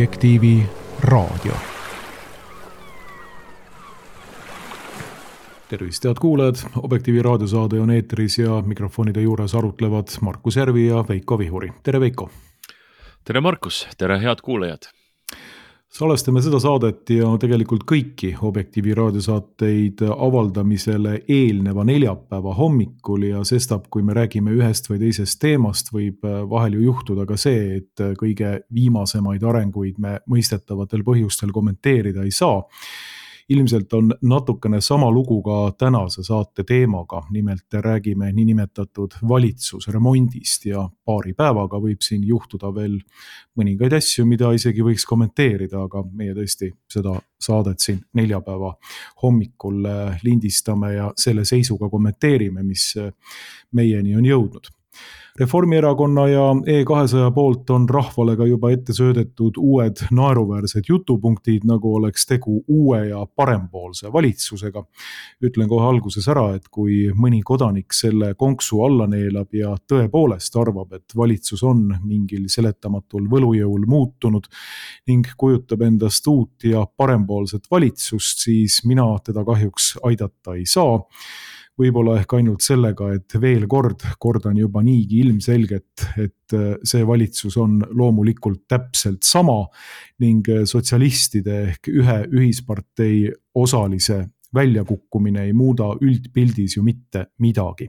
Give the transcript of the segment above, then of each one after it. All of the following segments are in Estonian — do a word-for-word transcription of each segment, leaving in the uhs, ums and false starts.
Objektiivi raadio. Tervist, head kuulajad! Objektiivi raadiosaade on eetris ja mikrofonide juures arutlevad Markus Järvi ja Veiko Vihuri. Tere, Veiko! Tere, Markus! Tere, head kuulajad! Salvestame seda saadet ja tegelikult kõiki Objektiivi raadiosaateid avaldamisele eelneva neljapäeva hommikul ja sestap, kui me räägime ühest või teisest teemast, võib vahel ju juhtuda ka see, et kõige viimasemaid arenguid me mõistetavatel põhjustel kommenteerida ei saa. Ilmselt on natukene sama lugu ka tänase saate teemaga, nimelt räägime niinimetatud valitsusremondist ja paari päevaga võib siin juhtuda veel mõningaid asju, mida isegi võiks kommenteerida, aga meie tõesti seda saadet siin neljapäeva hommikul lindistame ja selle seisuga kommenteerime, mis meieni on jõudnud. Reformierakonna ja E kahesaja poolt on rahvale ka juba ette söödetud uued naeruväärsed jutupunktid, nagu oleks tegu uue ja parempoolse valitsusega. Ütlen kohe alguses ära, et kui mõni kodanik selle konksu alla neelab ja tõepoolest arvab, et valitsus on mingil seletamatul võlujõul muutunud ning kujutab endast uut ja parempoolset valitsust, siis mina teda kahjuks aidata ei saa. Võib-olla ehk ainult sellega, et veel kord kordan juba niigi ilmselget, et see valitsus on loomulikult täpselt sama ning sotsialistide ehk ühe ühispartei osalise väljakukkumine ei muuda üldpildis ju mitte midagi.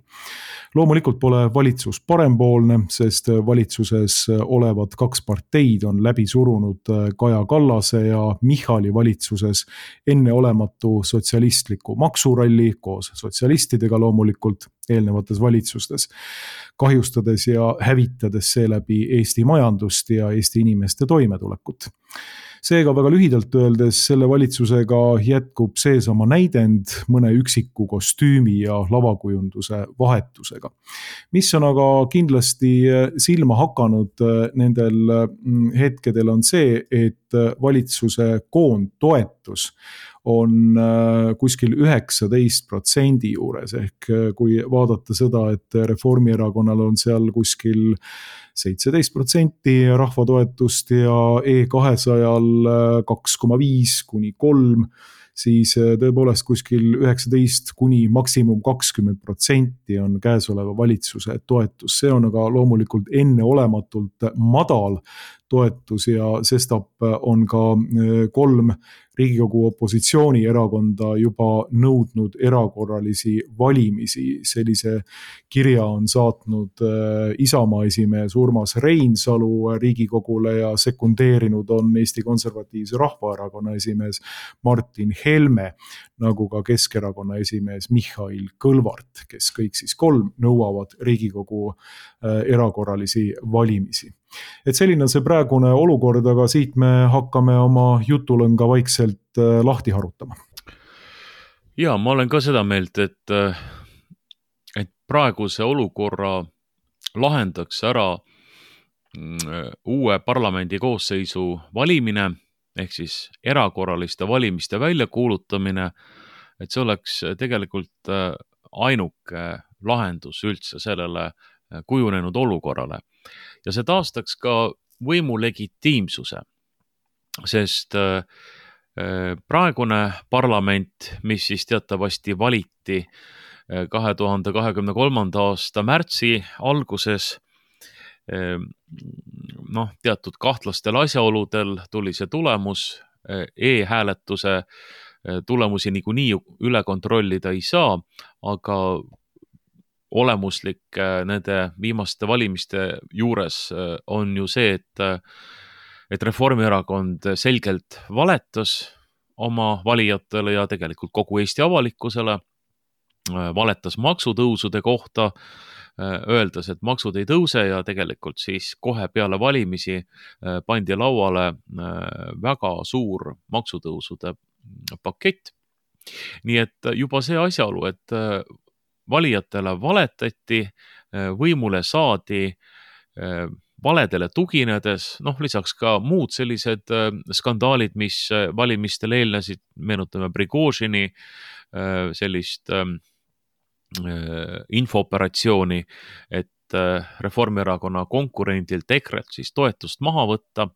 Loomulikult pole valitsus parempoolne, sest valitsuses olevad kaks parteid on läbi surunud Kaja Kallase ja Michali valitsuses enneolematu sotsialistliku maksuralli koos sotsialistidega loomulikult eelnevates valitsustes, kahjustades ja hävitades seeläbi Eesti majandust ja Eesti inimeste toimetulekut. Seega väga lühidalt öeldes selle valitsusega jätkub seesama näidend mõne üksiku kostüümi ja lavakujunduse vahetusega. Mis on aga kindlasti silma hakanud nendel hetkedel on see, et valitsuse koondtoetus on kuskil üheksateist protsendi juures, ehk kui vaadata seda, et Reformierakonnal on seal kuskil seitseteist protsenti rahvatoetust ja E kahesajal kaks koma viis kuni kolm, siis tõepoolest kuskil üheksateist kuni maksimum kakskümmend protsenti on käesoleva valitsuse toetus. See on aga loomulikult enneolematult madal toetus ja sestap on ka kolm Riigikogu opositsioonierakonda juba nõudnud erakorralisi valimisi. Sellise kirja on saatnud Isamaa esimees Urmas Reinsalu Riigikogule ja sekundeerinud on Eesti Konservatiivse Rahvaerakonna esimees Martin Helme, nagu ka Keskerakonna esimees Mihhail Kõlvart, kes kõik siis kolm nõuavad Riigikogu erakorralisi valimisi. Et selline on see praegune olukord, aga siit me hakkame oma jutulõnga vaikselt lahti harutama. Ja, ma olen ka seda meelt, et, et praeguse olukorra lahendaks ära uue parlamendi koosseisu valimine, ehk siis erakorraliste valimiste väljakuulutamine, et see oleks tegelikult ainuke lahendus üldse sellele kujunenud olukorrale. Ja see taastaks ka võimu legitiimsuse, sest praegune parlament, mis siis teatavasti valiti kahe tuhande kahekümne kolmanda aasta märtsi alguses, noh, teatud kahtlastel asjaoludel tuli see tulemus, e-hääletuse tulemusi niikuinii üle kontrollida ei saa, aga olemuslik nende viimaste valimiste juures on ju see, et, et Reformierakond selgelt valetas oma valijatele ja tegelikult kogu Eesti avalikkusele, valetas maksutõusude kohta, öeldes, et maksud ei tõuse ja tegelikult siis kohe peale valimisi pandi lauale väga suur maksutõusude pakett. Nii et juba see asjaolu, et valijatele valetati, võimule saadi valedele tuginedes, noh lisaks ka muud sellised skandaalid, mis valimistel eelnesid, meenutame Prigožini sellist infooperatsiooni, et Reformierakonna konkurendilt EKRE-lt siis toetust maha võtta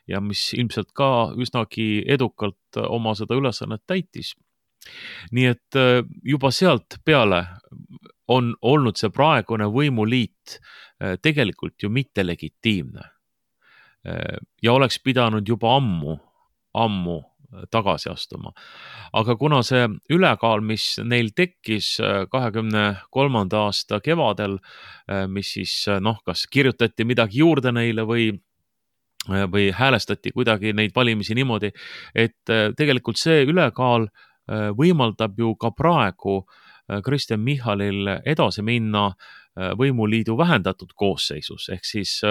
ja mis ilmselt ka üsnagi edukalt oma seda ülesannet täitis. Nii et juba sealt peale on olnud see praegune võimuliit tegelikult ju mitte legitiimne ja oleks pidanud juba ammu, ammu tagasi astuma. Aga kuna see ülekaal, mis neil tekkis kahekümne kolmanda aasta kevadel, mis siis noh, kas kirjutati midagi juurde neile või või häälestati kuidagi neid valimisi niimoodi, et tegelikult see ülekaal võimaldab ju ka praegu Kristen Michalil edasi minna võimuliidu vähendatud koosseisus, ehk siis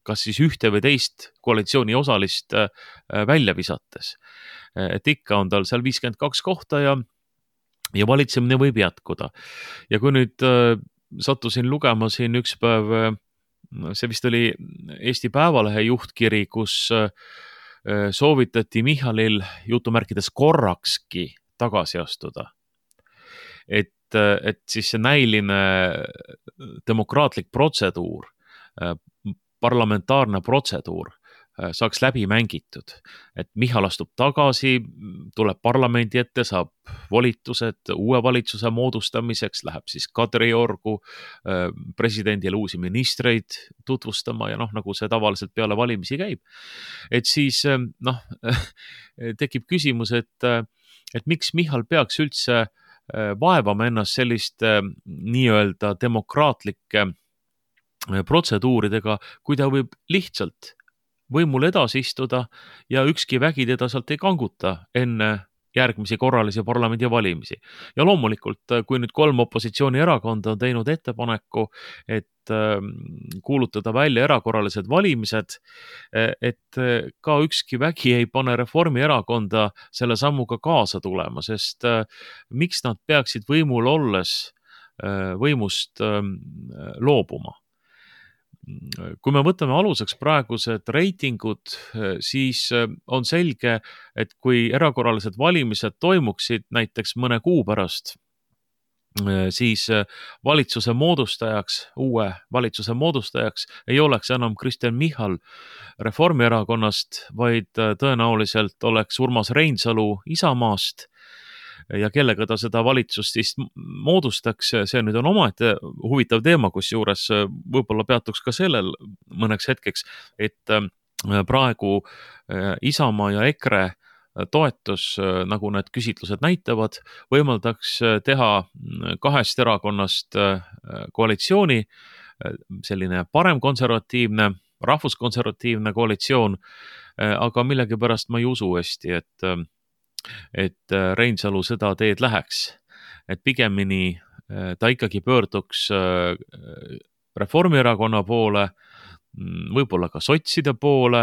kas siis ühte või teist koalitsiooni osalist välja visates. Et ikka on tal seal viiskümmend kaks kohta ja, ja valitsemine võib jätkuda. Ja kui nüüd sattusin lugema siin üks päev, see vist oli Eesti Päevalehe juhtkiri, kus soovitati Michalil jutumärkides korrakski tagasi astuda. Et, et siis see näiline demokraatlik protseduur, parlamentaarne protseduur saaks läbi mängitud. Et Michal astub tagasi, tuleb parlamendi ette, saab volitused uue valitsuse moodustamiseks, läheb siis Kadriorgu presidendile uusi ministreid tutvustama ja noh, nagu see tavaliselt peale valimisi käib. Et siis noh, tekib küsimus, et, et miks Michal peaks üldse vaevama ennast selliste nii-öelda demokraatlike protseduuridega, kui ta võib lihtsalt võimul edasi istuda ja ükski vägi teda sealt ei kanguta enne järgmisi korralisi parlamendivalimisi. Ja loomulikult, kui nüüd kolm opositsioonierakonda on teinud ettepaneku, et kuulutada välja erakorralised valimised, et ka ükski vägi ei pane Reformierakonda selle sammuga kaasa tulema, sest miks nad peaksid võimul olles võimust loobuma? Kui me võtame aluseks praegused reitingud, siis on selge, et kui erakorralised valimised toimuksid näiteks mõne kuu pärast, siis valitsuse moodustajaks, uue valitsuse moodustajaks ei oleks enam Kristen Michal Reformierakonnast, vaid tõenäoliselt oleks Urmas Reinsalu Isamaast, ja kellega ta seda valitsust siis moodustaks, see nüüd on omaette huvitav teema, kus juures võib-olla peatuks ka sellel mõneks hetkeks, et praegu Isamaa ja EKRE toetus, nagu need küsitlused näitavad, võimaldaks teha kahest erakonnast koalitsiooni, selline paremkonservatiivne, rahvuskonservatiivne koalitsioon, aga millegipärast ma ei usu hästi, et et Reinsalu seda teed läheks, et pigemini ta ikkagi pöörduks Reformierakonna poole, võib-olla ka sotside poole,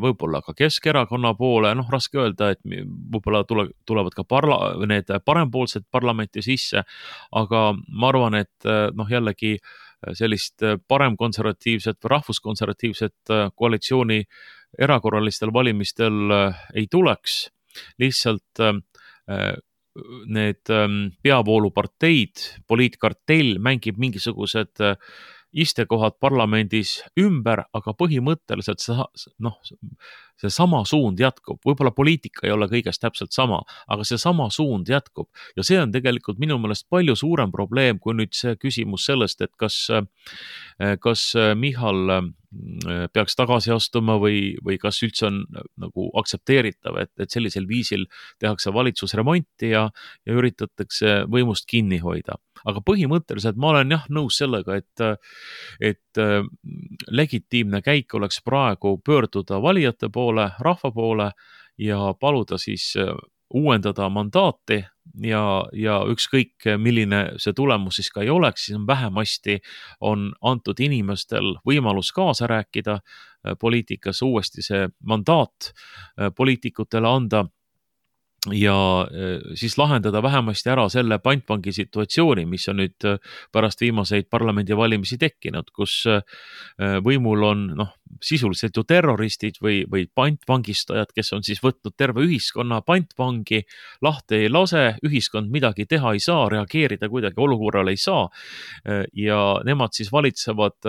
võib-olla ka Keskerakonna poole, noh raske öelda, et võib-olla tule, tulevad ka parla, need parempoolsed parlamenti sisse, aga ma arvan, et noh jällegi sellist paremkonservatiivset või rahvuskonservatiivset koalitsiooni erakorralistel valimistel ei tuleks. Lihtsalt need peavooluparteid, poliitkartell mängib mingisugused istekohad parlamendis ümber, aga põhimõtteliselt see, noh, see sama suund jätkub. Võib-olla poliitika ei ole kõigest täpselt sama, aga see sama suund jätkub. Ja see on tegelikult minu meelest palju suurem probleem, kui nüüd see küsimus sellest, et kas, kas Michal peaks tagasi astuma või, või kas üldse on nagu aktsepteeritav, et, et sellisel viisil tehakse valitsusremonti ja, ja üritatakse võimust kinni hoida. Aga põhimõtteliselt ma olen jah nõus sellega, et, et legitiimne käik oleks praegu pöörduda valijate poole, rahva poole ja paluda siis uuendada mandaati ja, ja ükskõik milline see tulemus siis ka ei oleks, siis on vähemasti on antud inimestel võimalus kaasa rääkida poliitikas, uuesti see mandaat poliitikutele anda ja siis lahendada vähemasti ära selle pantvangi situatsiooni, mis on nüüd pärast viimaseid parlamendivalimisi tekkinud, kus võimul on noh, sisuliselt ju terroristid või, või pantvangistajad, kes on siis võtnud terve ühiskonna pantvangi, lahti ei lase, ühiskond midagi teha ei saa, reageerida kuidagi olukorrale ei saa ja nemad siis valitsevad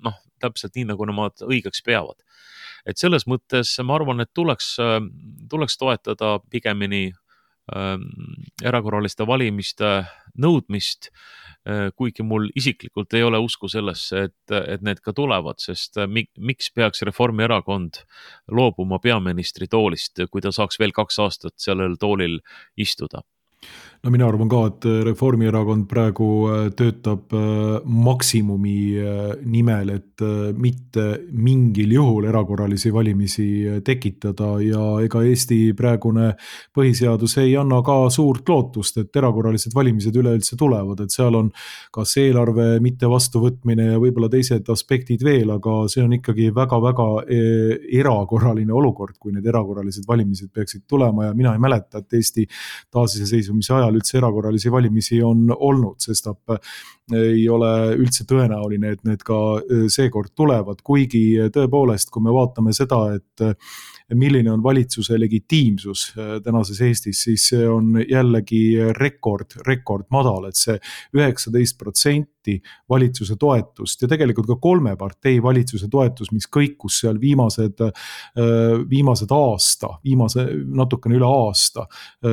noh, täpselt nii, nagu nemad õigeks peavad. Et selles mõttes ma arvan, et tuleks, tuleks toetada pigemini äh, erakorraliste valimiste nõudmist, äh, kuigi mul isiklikult ei ole usku sellesse, et, et need ka tulevad, sest mik, miks peaks Reformierakond loobuma peaministri toolist, kui ta saaks veel kaks aastat sellel toolil istuda? No mina arvan ka, et Reformierakond praegu töötab maksimumi nimel, et mitte mingil juhul erakorralisi valimisi tekitada ja ega Eesti praegune põhiseadus ei anna ka suurt lootust, et erakorralised valimised üleüldse tulevad, et seal on kas eelarve mitte vastuvõtmine ja võib-olla teised aspektid veel, aga see on ikkagi väga-väga erakorraline olukord, kui need erakorralised valimised peaksid tulema ja mina ei mäleta, et Eesti taasiseseisvumise ajal üldse erakorralisi valimisi on olnud, sest ei ole üldse tõenäoline, et need ka seekord tulevad, kuigi tõepoolest, kui me vaatame seda, et milline on valitsuse legitiimsus tänases Eestis, siis see on jällegi rekord, rekord madal, et see üheksateist protsenti valitsuse toetust ja tegelikult ka kolme partei valitsuse toetus, mis kõikus seal viimased, viimased aasta, viimase natukene üle aasta,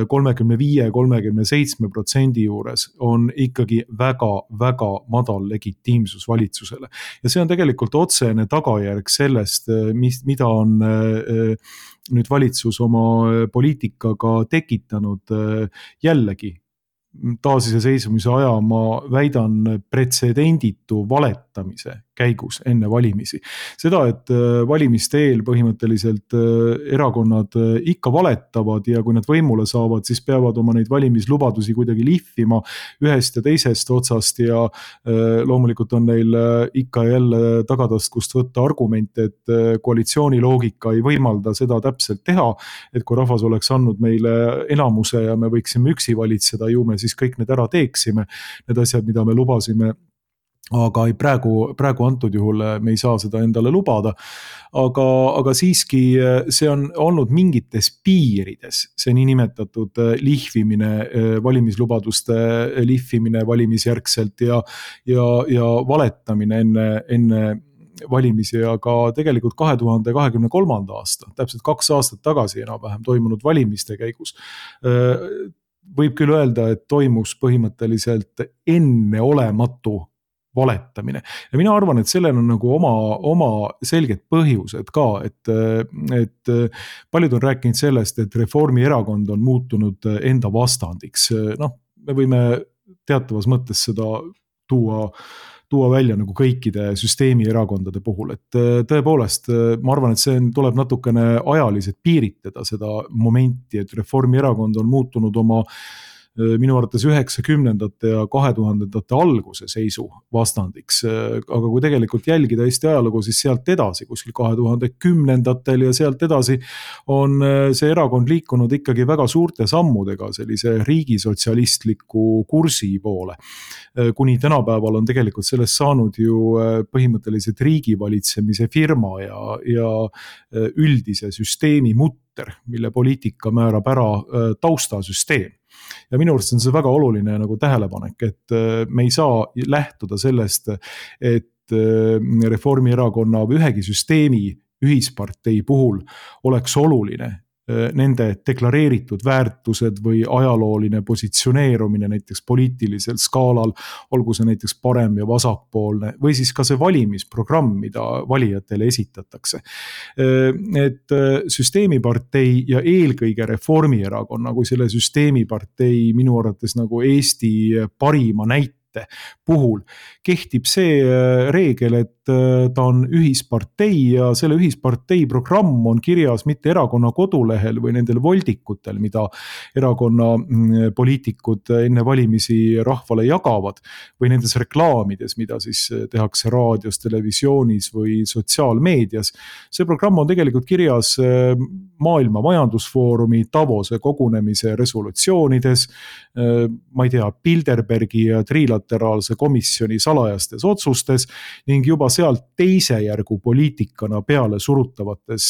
kolmekümne viie kolmekümne seitsme protsendi juures on ikkagi väga, väga madal legitiimsus valitsusele. Ja see on tegelikult otsene tagajärg sellest, mis, mida on nüüd valitsus oma poliitikaga tekitanud jällegi. Taasiseseisvumise aja ma väidan pretsedenditu valetamise käigus enne valimisi. Seda, et valimiste eel põhimõtteliselt erakonnad ikka valetavad ja kui nad võimule saavad, siis peavad oma neid valimislubadusi kuidagi lihvima ühest ja teisest otsast ja loomulikult on neil ikka jälle tagataskust võtta argumente, et koalitsiooni loogika ei võimalda seda täpselt teha, et kui rahvas oleks andnud meile enamuse ja me võiksime üksi valitseda, ju me siis kõik need ära teeksime, need asjad, mida me lubasime. Aga ei, praegu, praegu antud juhul me ei saa seda endale lubada, aga, aga siiski see on olnud mingites piirides, see niinimetatud lihvimine, valimislubaduste lihvimine valimisjärgselt ja, ja, ja valetamine enne, enne valimisi, aga tegelikult kahe tuhande kahekümne kolmanda aasta, täpselt kaks aastat tagasi enam-vähem toimunud valimiste käigus võib küll öelda, et toimus põhimõtteliselt enneolematu valetamine. Ja mina arvan, et sellel on nagu oma, oma selged põhjused ka, et, et paljud on rääkinud sellest, et Reformierakond on muutunud enda vastandiks. Noh, me võime teatavas mõttes seda tuua, tuua välja nagu kõikide süsteemi erakondade puhul, et tõepoolest ma arvan, et see tuleb natukene ajaliselt piiritada seda momenti, et Reformierakond on muutunud oma minu arvates üheksakümnendate ja kahe tuhandendate alguse seisu vastandiks, aga kui tegelikult jälgida Eesti ajalugu, siis sealt edasi, kuskil kahe tuhande kümnendatel ja sealt edasi on see erakond liikunud ikkagi väga suurte sammudega sellise riigisotsialistliku kursi poole. Kuni tänapäeval on tegelikult sellest saanud ju põhimõtteliselt riigivalitsemise firma ja, ja üldise süsteemi mutter, mille poliitika määrab ära taustasüsteem. Ja minu arust on see väga oluline nagu tähelepanek, et me ei saa lähtuda sellest, et Reformierakonna või ühegi süsteemi ühispartei puhul oleks oluline nende deklareeritud väärtused või ajalooline positsioneerumine näiteks poliitilisel skaalal, olgu see näiteks parem ja vasakpoolne või siis ka see valimisprogramm, mida valijatele esitatakse. Et süsteemipartei ja eelkõige Reformierakonna kui selle süsteemipartei minu arvates nagu Eesti parima näite puhul kehtib see reegel, et ta on ühispartei ja selle ühispartei programm on kirjas mitte erakonna kodulehel või nendel voldikutel, mida erakonna poliitikud enne valimisi rahvale jagavad või nendes reklaamides, mida siis tehakse raadios, televisioonis või sotsiaalmeedias. See programm on tegelikult kirjas Maailma Majandusfoorumi Davose kogunemise resolutsioonides, ma ei tea, Bilderbergi ja trilateraalse komisjoni salajastes otsustes ning juba sealt teise järgu poliitikana peale surutavates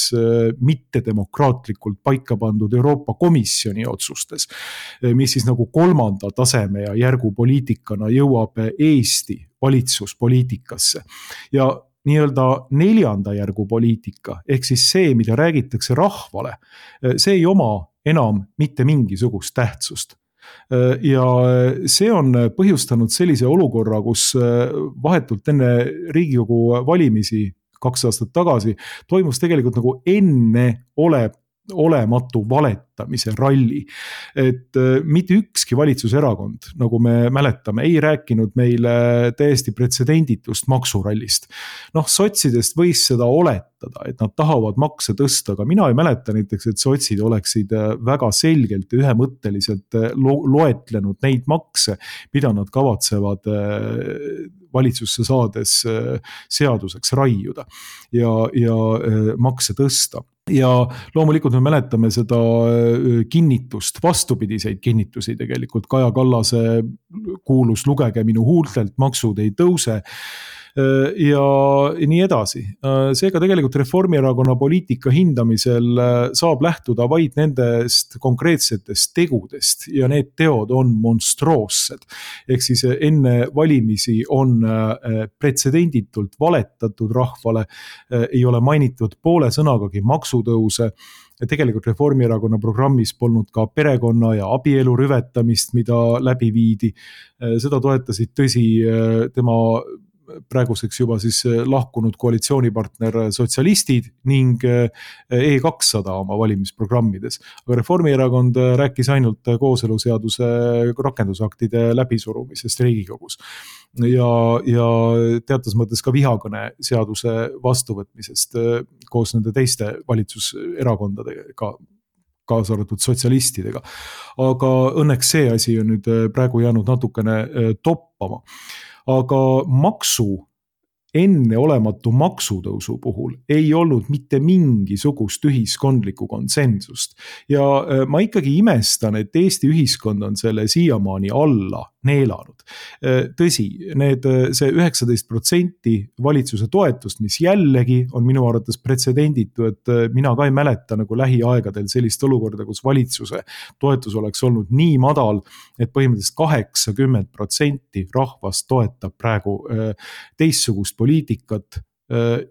mittedemokraatlikult paika pandud Euroopa Komisjoni otsustes, mis siis nagu kolmanda taseme ja järgu poliitikana jõuab Eesti valitsuspoliitikasse. Ja nii-öelda neljanda järgu poliitika, ehk siis see, mida räägitakse rahvale, see ei oma enam mitte mingisugust tähtsust. Ja see on põhjustanud sellise olukorra, kus vahetult enne Riigikogu valimisi kaks aastat tagasi toimus tegelikult nagu enne ole olematu valetamise ralli. Et mitte ükski valitsuserakond, nagu me mäletame, ei rääkinud meile täiesti pretsedenditust maksurallist. Noh, sotsidest võis seda oletada, et nad tahavad makse tõsta, aga mina ei mäleta näiteks, et sotsid oleksid väga selgelt ja ühemõtteliselt lo- loetlenud neid makse, mida nad kavatsevad valitsusse saades seaduseks raiuda ja, ja makse tõsta. Ja loomulikult me mäletame seda kinnitust, vastupidiseid kinnitusi tegelikult. Kaja Kallase kuulus lugege minu huultelt, maksud ei tõuse ja nii edasi. Seega tegelikult Reformierakonna poliitika hindamisel saab lähtuda vaid nendest konkreetsetest tegudest ja need teod on monstroossed. Ehk siis enne valimisi on pretsedenditult valetatud rahvale, ei ole mainitud poole sõnagagi maksutõuse. Tegelikult Reformierakonna programmis polnud ka perekonna ja abielu rüvetamist, mida läbi viidi. Seda toetasid tõsi tema praeguseks juba siis lahkunud koalitsioonipartner sotsialistid ning E kakssada oma valimisprogrammides. Aga Reformierakond rääkis ainult kooseluseaduse rakendusaktide läbisurumisest Riigikogus ja, ja teatas mõttes ka vihakõne seaduse vastuvõtmisest koos nende teiste valitsuserakondadega, kaasa arvatud sotsialistidega. Aga õnneks see asi on nüüd praegu jäänud natukene toppama. Aga maksu, enneolematu maksutõusu puhul ei olnud mitte mingisugust ühiskondlikku konsensust. Ja ma ikkagi imestan, et Eesti ühiskond on selle siiamaani alla neelanud. Tõsi, need, see üheksateist protsenti valitsuse toetust, mis jällegi on minu arvates pretsedenditu, et mina ka ei mäleta nagu lähiaegadel sellist olukorda, kus valitsuse toetus oleks olnud nii madal, et põhimõtteliselt kaheksakümmend protsenti rahvast toetab praegu teistsugust poliitikat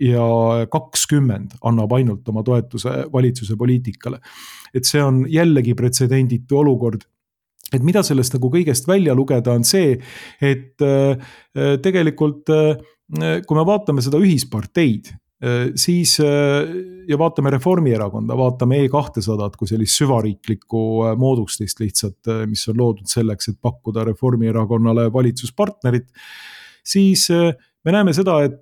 ja kakskümmend annab ainult oma toetuse valitsuse poliitikale. Et see on jällegi pretsedenditu olukord. Et mida sellest nagu kõigest välja lugeda on see, et tegelikult kui me vaatame seda ühisparteid, siis ja vaatame Reformierakonda, vaatame E kakssada kui sellist süvariiklikku moodustist lihtsalt, mis on loodud selleks, et pakkuda Reformierakonnale valitsuspartnerit, siis me näeme seda, et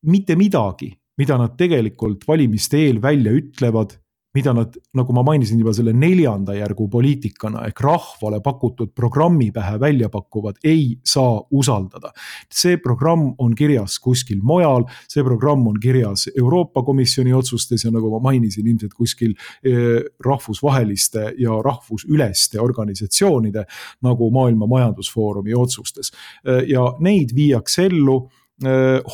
mitte midagi, mida nad tegelikult valimiste eel välja ütlevad, mida nad, nagu ma mainisin juba selle neljanda järgu poliitikana ehk rahvale pakutud programmi pähe välja pakuvad, ei saa usaldada. See programm on kirjas kuskil mujal, see programm on kirjas Euroopa Komisjoni otsustes ja nagu ma mainisin, ilmselt kuskil rahvusvaheliste ja rahvusüleste organisatsioonide nagu Maailma Majandusfoorumi otsustes. Ja neid viiakse ellu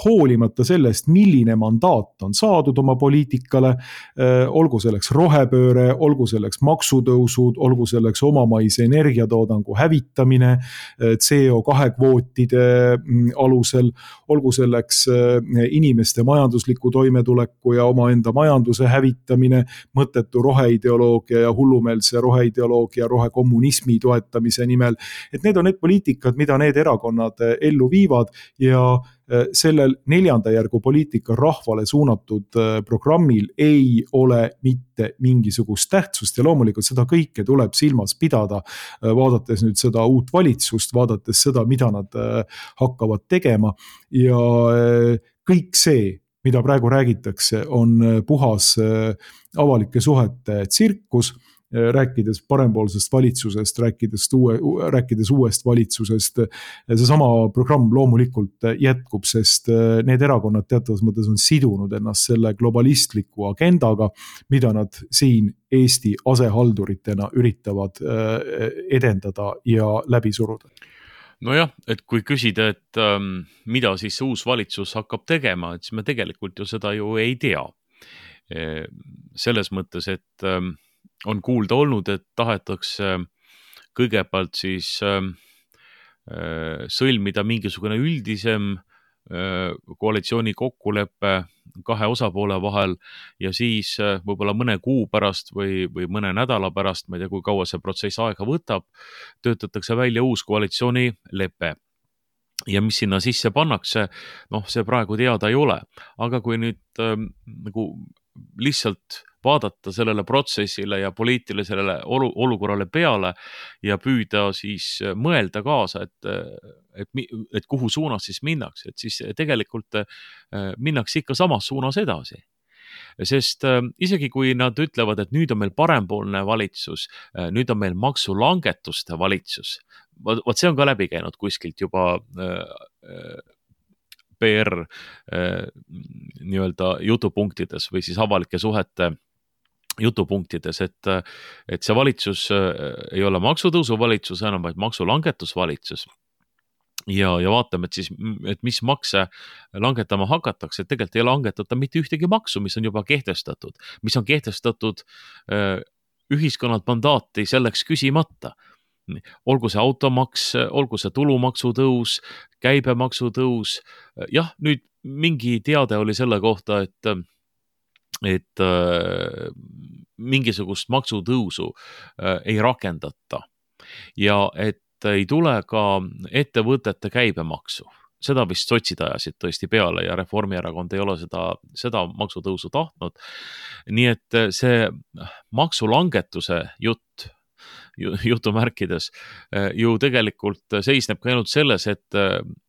hoolimata sellest, milline mandaat on saadud oma poliitikale, olgu selleks rohepööre, olgu selleks maksutõusud, olgu selleks omamaise energiatoodangu hävitamine, C O kahe kvootide alusel, olgu selleks inimeste majandusliku toimetuleku ja omaenda majanduse hävitamine, mõttetu roheideoloogia ja hullumeelse roheideoloogia, rohekommunismi toetamise nimel. Et need on need poliitikad, mida need erakonnad ellu viivad ja sellel neljanda järgu poliitika rahvale suunatud programmil ei ole mitte mingisugust tähtsust ja loomulikult seda kõike tuleb silmas pidada, vaadates nüüd seda uut valitsust, vaadates seda, mida nad hakkavad tegema ja kõik see, mida praegu räägitakse, on puhas avalike suhete tsirkus, rääkides parempoolsest valitsusest, rääkides, uue, rääkides uuest valitsusest. Seesama programm loomulikult jätkub, sest need erakonnad teatavas mõttes on sidunud ennast selle globalistliku agendaga, mida nad siin Eesti asehalduritena üritavad edendada ja läbi suruda. Nojah, et kui küsida, et ähm, mida siis uus valitsus hakkab tegema, et siis me tegelikult ju seda ju ei tea. E, selles mõttes, et ähm, on kuulda olnud, et tahetakse kõigepealt siis äh, sõlmida mingisugune üldisem koalitsiooni kokkulepe kahe osapoole vahel ja siis võib-olla mõne kuu pärast või, või mõne nädala pärast, ma ei tea, kui kaua see protsess aega võtab, töötatakse välja uus koalitsioonilepe. Ja mis sinna sisse pannakse, noh, see praegu teada ei ole. Aga kui nüüd äh, nagu lihtsalt vaadata sellele protsessile ja poliitilisele olu, olukorrale peale ja püüda siis mõelda kaasa, et, et, et kuhu suunas siis minnakse, et siis tegelikult minnakse ikka samas suunas edasi. Sest isegi kui nad ütlevad, et nüüd on meil parempoolne valitsus, nüüd on meil maksulangetuste valitsus, vot see on ka läbi käinud kuskilt juba P R nii-öelda jutupunktides või siis avalike suhete jutupunktides, et, et see valitsus ei ole maksutõusu valitsus enam, vaid maksulangetusvalitsus. Ja, ja vaatame, et siis, et mis makse langetama hakatakse, et tegelikult ei langetata mitte ühtegi maksu, mis on juba kehtestatud, mis on kehtestatud ühiskonnad mandaati selleks küsimata. Olgu see automaks, olgu see tulumaksu tõus, käibemaksu tõus. Jah, nüüd mingi teade oli selle kohta, et et äh, mingisugust maksutõusu äh, ei rakendata ja et ei tule ka ettevõtete käibemaksu. Seda vist sotsid ajasid tõesti peale ja Reformierakond ei ole seda, seda maksutõusu tahtnud. Nii et see maksulangetuse jutt, jutumärkides, ju tegelikult seisneb ka ainult selles, et,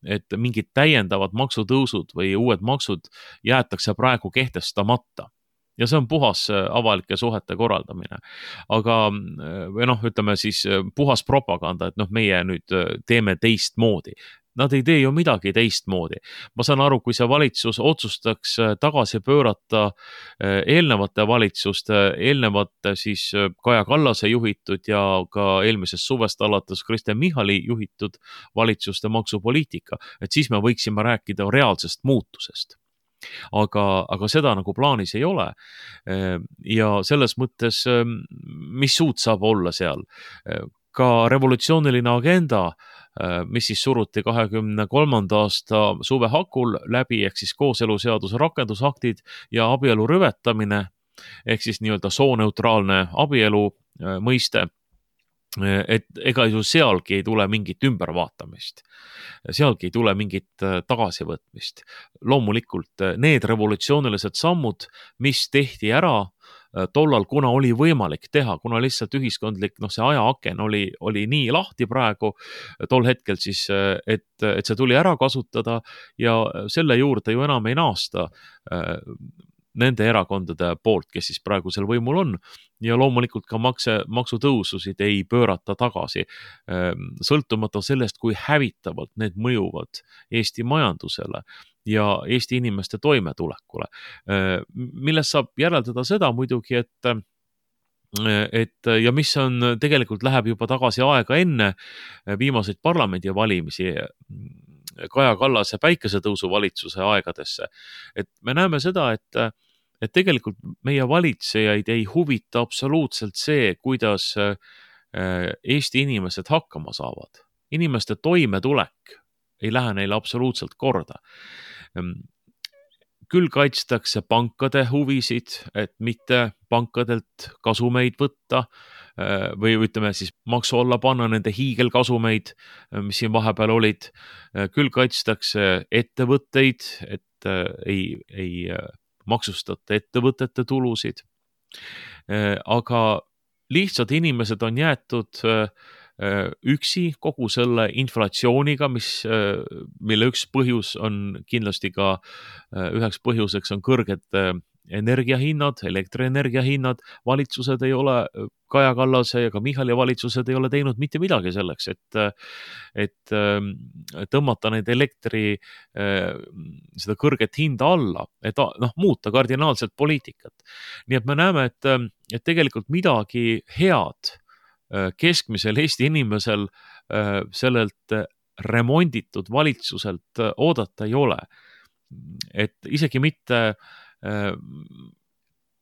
et mingid täiendavad maksutõusud või uued maksud jäetakse praegu kehtestamata. Ja see on puhas avalike suhete korraldamine. Aga või noh, ütleme siis puhas propaganda, et noh, meie nüüd teeme teistmoodi. Nad ei tee ju midagi teistmoodi. Ma saan aru, kui see valitsus otsustaks tagasi pöörata eelnevate valitsuste, eelnevate siis Kaja Kallase juhitud ja ka eelmisest suvest alates Kristen Michali juhitud valitsuste maksupoliitika, et siis me võiksime rääkida reaalsest muutusest. Aga, aga seda nagu plaanis ei ole. Ja selles mõttes, mis suud saab olla seal? Ka revolutsiooniline agenda, mis siis suruti kahekümne kolmanda aasta suve hakul läbi, ehk siis kooseluseaduse rakendusaktid ja abielu rüvetamine, ehk siis nii-öelda sooneutraalne abielu mõiste, et ega ju sealgi ei tule mingit ümbervaatamist. Sealgi ei tule mingit tagasivõtmist. Loomulikult need revolutsioonilised sammud, mis tehti ära tollal, kuna oli võimalik teha, kuna lihtsalt ühiskondlik, noh, see ajaaken oli, oli nii lahti praegu tol hetkel siis, et, et see tuli ära kasutada ja selle juurde ju enam ei naasta nende erakondade poolt, kes siis praegusel võimul on ja loomulikult ka makse, maksutõususid ei pöörata tagasi, sõltumata sellest, kui hävitavalt need mõjuvad Eesti majandusele ja Eesti inimeste toimetulekule, millest saab järeldada seda muidugi, et et ja mis on tegelikult läheb juba tagasi aega enne viimaseid parlamendivalimisi Kaja Kallase päikesetõusu valitsuse aegadesse. Et me näeme seda, et, et tegelikult meie valitsejaid ei huvita absoluutselt see, kuidas Eesti inimesed hakkama saavad. Inimeste toimetulek ei lähe neile absoluutselt korda. Küll kaitstakse pankade huvisid, et mitte pankadelt kasumeid võtta või ütleme siis maksu alla panna nende hiigelkasumeid, mis siin vahepeal olid. Küll kaitstakse ettevõtteid, et ei, ei maksustata ettevõtete tulusid. Aga lihtsalt inimesed on jäetud üksi kogu selle inflatsiooniga, mis, mille üks põhjus on kindlasti ka, üheks põhjuseks on kõrged energiahinnad, elektrienergiahinnad, valitsused ei ole, Kaja Kallase ja ka Michali valitsused ei ole teinud mitte midagi selleks, et, et tõmmata neid elektri, seda kõrget hinda alla, et noh, muuta kardinaalselt poliitikat. Nii et me näeme, et, et tegelikult midagi head keskmisel Eesti inimesel sellelt remonditud valitsuselt oodata ei ole. Et isegi mitte,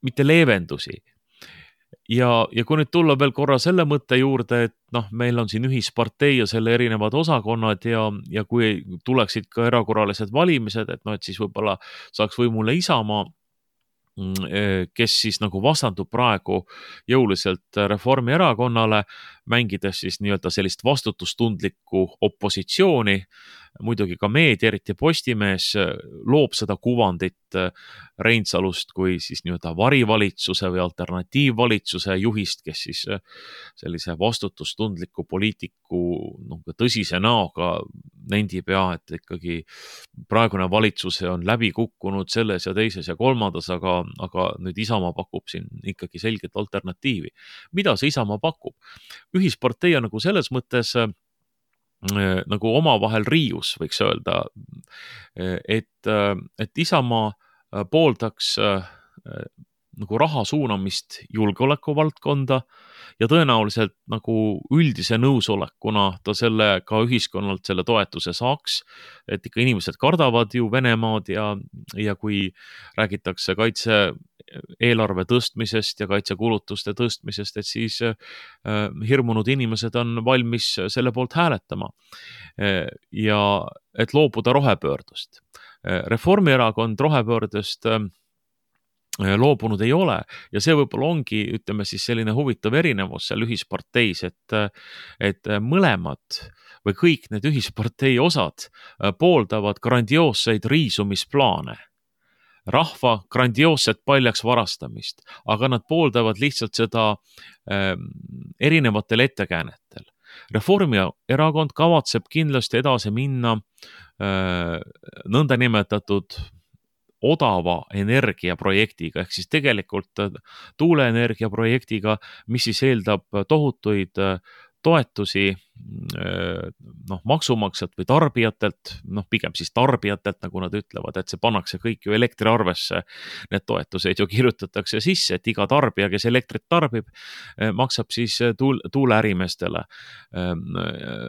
mitte leevendusi. ja, ja kui nüüd tulla veel korra selle mõtte juurde, et noh, meil on siin ühispartei ja selle erinevad osakonnad ja, ja kui tuleksid ka erakorralised valimised, et noh, et siis võib-olla saaks võimule Isamaa, kes siis nagu vastandub praegu jõuliselt Reformierakonnale, mängides siis nii-öelda sellist vastutustundlikku opositsiooni. Muidugi ka meedia, eriti Postimees, loob seda kuvandit Reinsalust kui siis nii-öelda varivalitsuse või alternatiivvalitsuse juhist, kes siis sellise vastutustundliku poliitiku noh, tõsise näoga nendib ja, et ikkagi praegune valitsus on läbi kukkunud selles ja teises ja kolmandas, aga, aga nüüd Isamaa pakub siin ikkagi selget alternatiivi. Mida see Isamaa pakub? Ühispartei on nagu selles mõttes nagu omavahel riius, võiks öelda, et, et Isamaa pooldaks nagu raha suunamist julgeoleku valdkonda ja tõenäoliselt nagu üldise nõusolekuna ta selle ka ühiskonnalt selle toetuse saaks, et ikka inimesed kardavad ju Venemaad ja, ja kui räägitakse kaitse eelarve tõstmisest ja kaitsekulutuste tõstmisest, et siis äh, hirmunud inimesed on valmis selle poolt hääletama äh, ja et loobuda rohepöördust. Reformierakond rohepöördest äh, loobunud ei ole ja see võib-olla ongi, ütleme siis selline huvitav erinevus seal ühisparteis, et, et mõlemad või kõik need ühispartei osad pooldavad grandioosseid riisumisplaane, rahva grandioosset paljaks varastamist, aga nad pooldavad lihtsalt seda äh, erinevatel ettekäänetel. Reformierakond kavatseb kindlasti edasi minna äh, nõndanimetatud odava energiaprojektiga, ehk siis tegelikult tuuleenergia projektiga, mis siis eeldab tohutuid toetusi noh, maksumaksjalt või tarbijatelt, noh, pigem siis tarbijatelt, nagu nad ütlevad, et see pannakse kõik ju elektriarvesse. Need toetused ju kirjutatakse sisse, et iga tarbija, kes elektrit tarbib, maksab siis tuul, tuuleärimeestele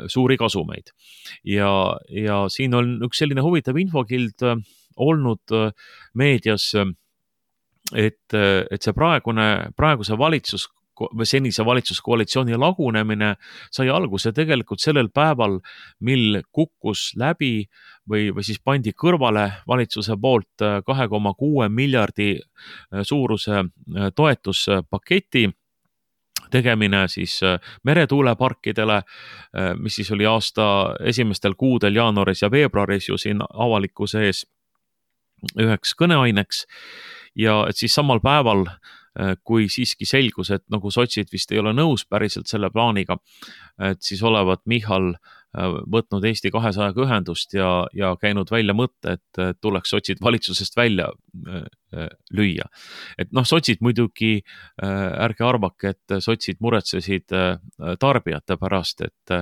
suuri kasumeid. Ja, ja siin on üks selline huvitav infokild olnud meedias, et, et see praegune, praeguse valitsus või senise valitsuskoalitsiooni lagunemine sai alguse tegelikult sellel päeval, mil kukkus läbi või, või siis pandi kõrvale valitsuse poolt kahe koma kuue miljardi suuruse toetuspaketi tegemine siis meretuuleparkidele, mis siis oli aasta esimestel kuudel jaanuaris ja veebruaris ju siin avalikkuse ees üheks kõneaineks ja et siis samal päeval, kui siiski selgus, et nagu sotsid vist ei ole nõus päriselt selle plaaniga, et siis olevat Michal võtnud Eesti kahesajaga ühendust ja, ja käinud välja mõtte, et tuleks sotsid valitsusest välja lüüa. Et noh, sotsid muidugi, ärge arvake, et sotsid muretsesid tarbijate pärast, et,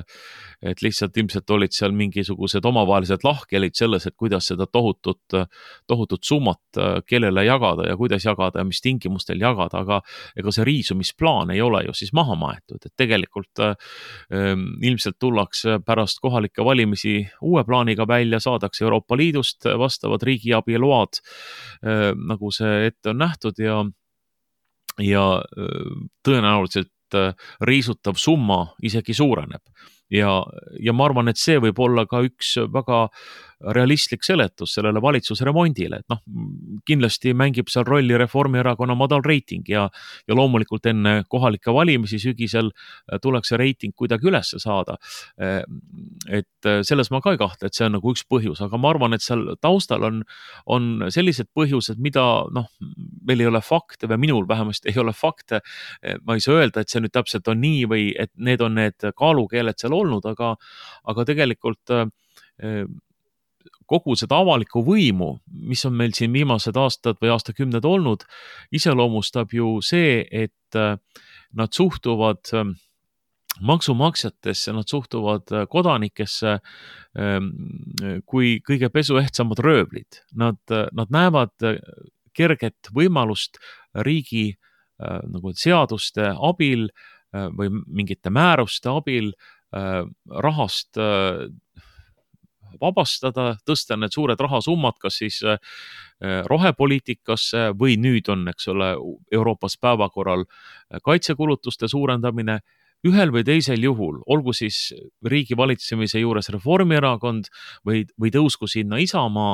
et lihtsalt ilmselt olid seal mingisugused omavahelised lahkhelid selles, et kuidas seda tohutut, tohutut summat kellele jagada ja kuidas jagada ja mis tingimustel jagada, aga ega see riisumisplaan ei ole ju siis maha maetud, et tegelikult ähm, ilmselt tullakse pärast kohalikke valimisi uue plaaniga välja, saadakse Euroopa Liidust vastavad riigiabi load, äh, nagu see ette on nähtud ja, ja äh, tõenäoliselt äh, riisutav summa isegi suureneb. Ja, ja ma arvan, et see võib olla ka üks väga realistlik seletus sellele valitsusremondile, et noh, kindlasti mängib seal rolli Reformierakonna madal reiting ja, ja loomulikult enne kohalike valimisi sügisel tuleks see reiting kuidagi üles saada. Et selles ma ka ei kahtle, et see on nagu üks põhjus, aga ma arvan, et seal taustal on, on sellised põhjused, mida noh, meil ei ole fakte või minul vähemasti ei ole fakte. Ma ei saa öelda, et see nüüd täpselt on nii või et need on need kaalukeeled seal olnud, aga, aga tegelikult kogu seda avalikku võimu, mis on meil siin viimased aastad või aastakümned olnud, iseloomustab ju see, et nad suhtuvad maksumaksjatesse, nad suhtuvad kodanikesse kui kõige pesuehtsamad röövlid. Nad, nad näevad kerget võimalust riigi nagu seaduste abil või mingite määruste abil rahast vabastada, tõsta need suured rahasummad, kas siis rohepoliitikasse või nüüd on, eks ole, Euroopas päevakorral kaitsekulutuste suurendamine. Ühel või teisel juhul, olgu siis riigi valitsemise juures Reformierakond või, või tõusku sinna Isamaa,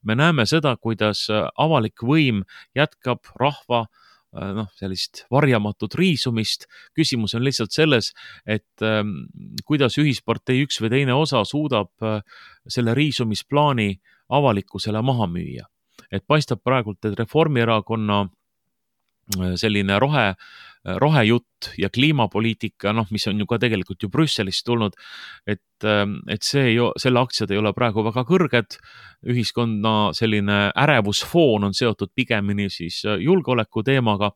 me näeme seda, kuidas avalik võim jätkab rahva noh, sellist varjamatut riisumist. Küsimus on lihtsalt selles, et ähm, kuidas ühispartei üks või teine osa suudab äh, selle riisumisplaani avalikkusele maha müüa. Et paistab praegult, et Reformierakonna selline rohe, rohejutt ja kliimapoliitika, noh, mis on ju ka tegelikult ju Brüsselist tulnud, et, et see ju, selle aktsiad ei ole praegu väga kõrged, ühiskonna selline ärevusfoon on seotud pigemini siis julgeoleku teemaga,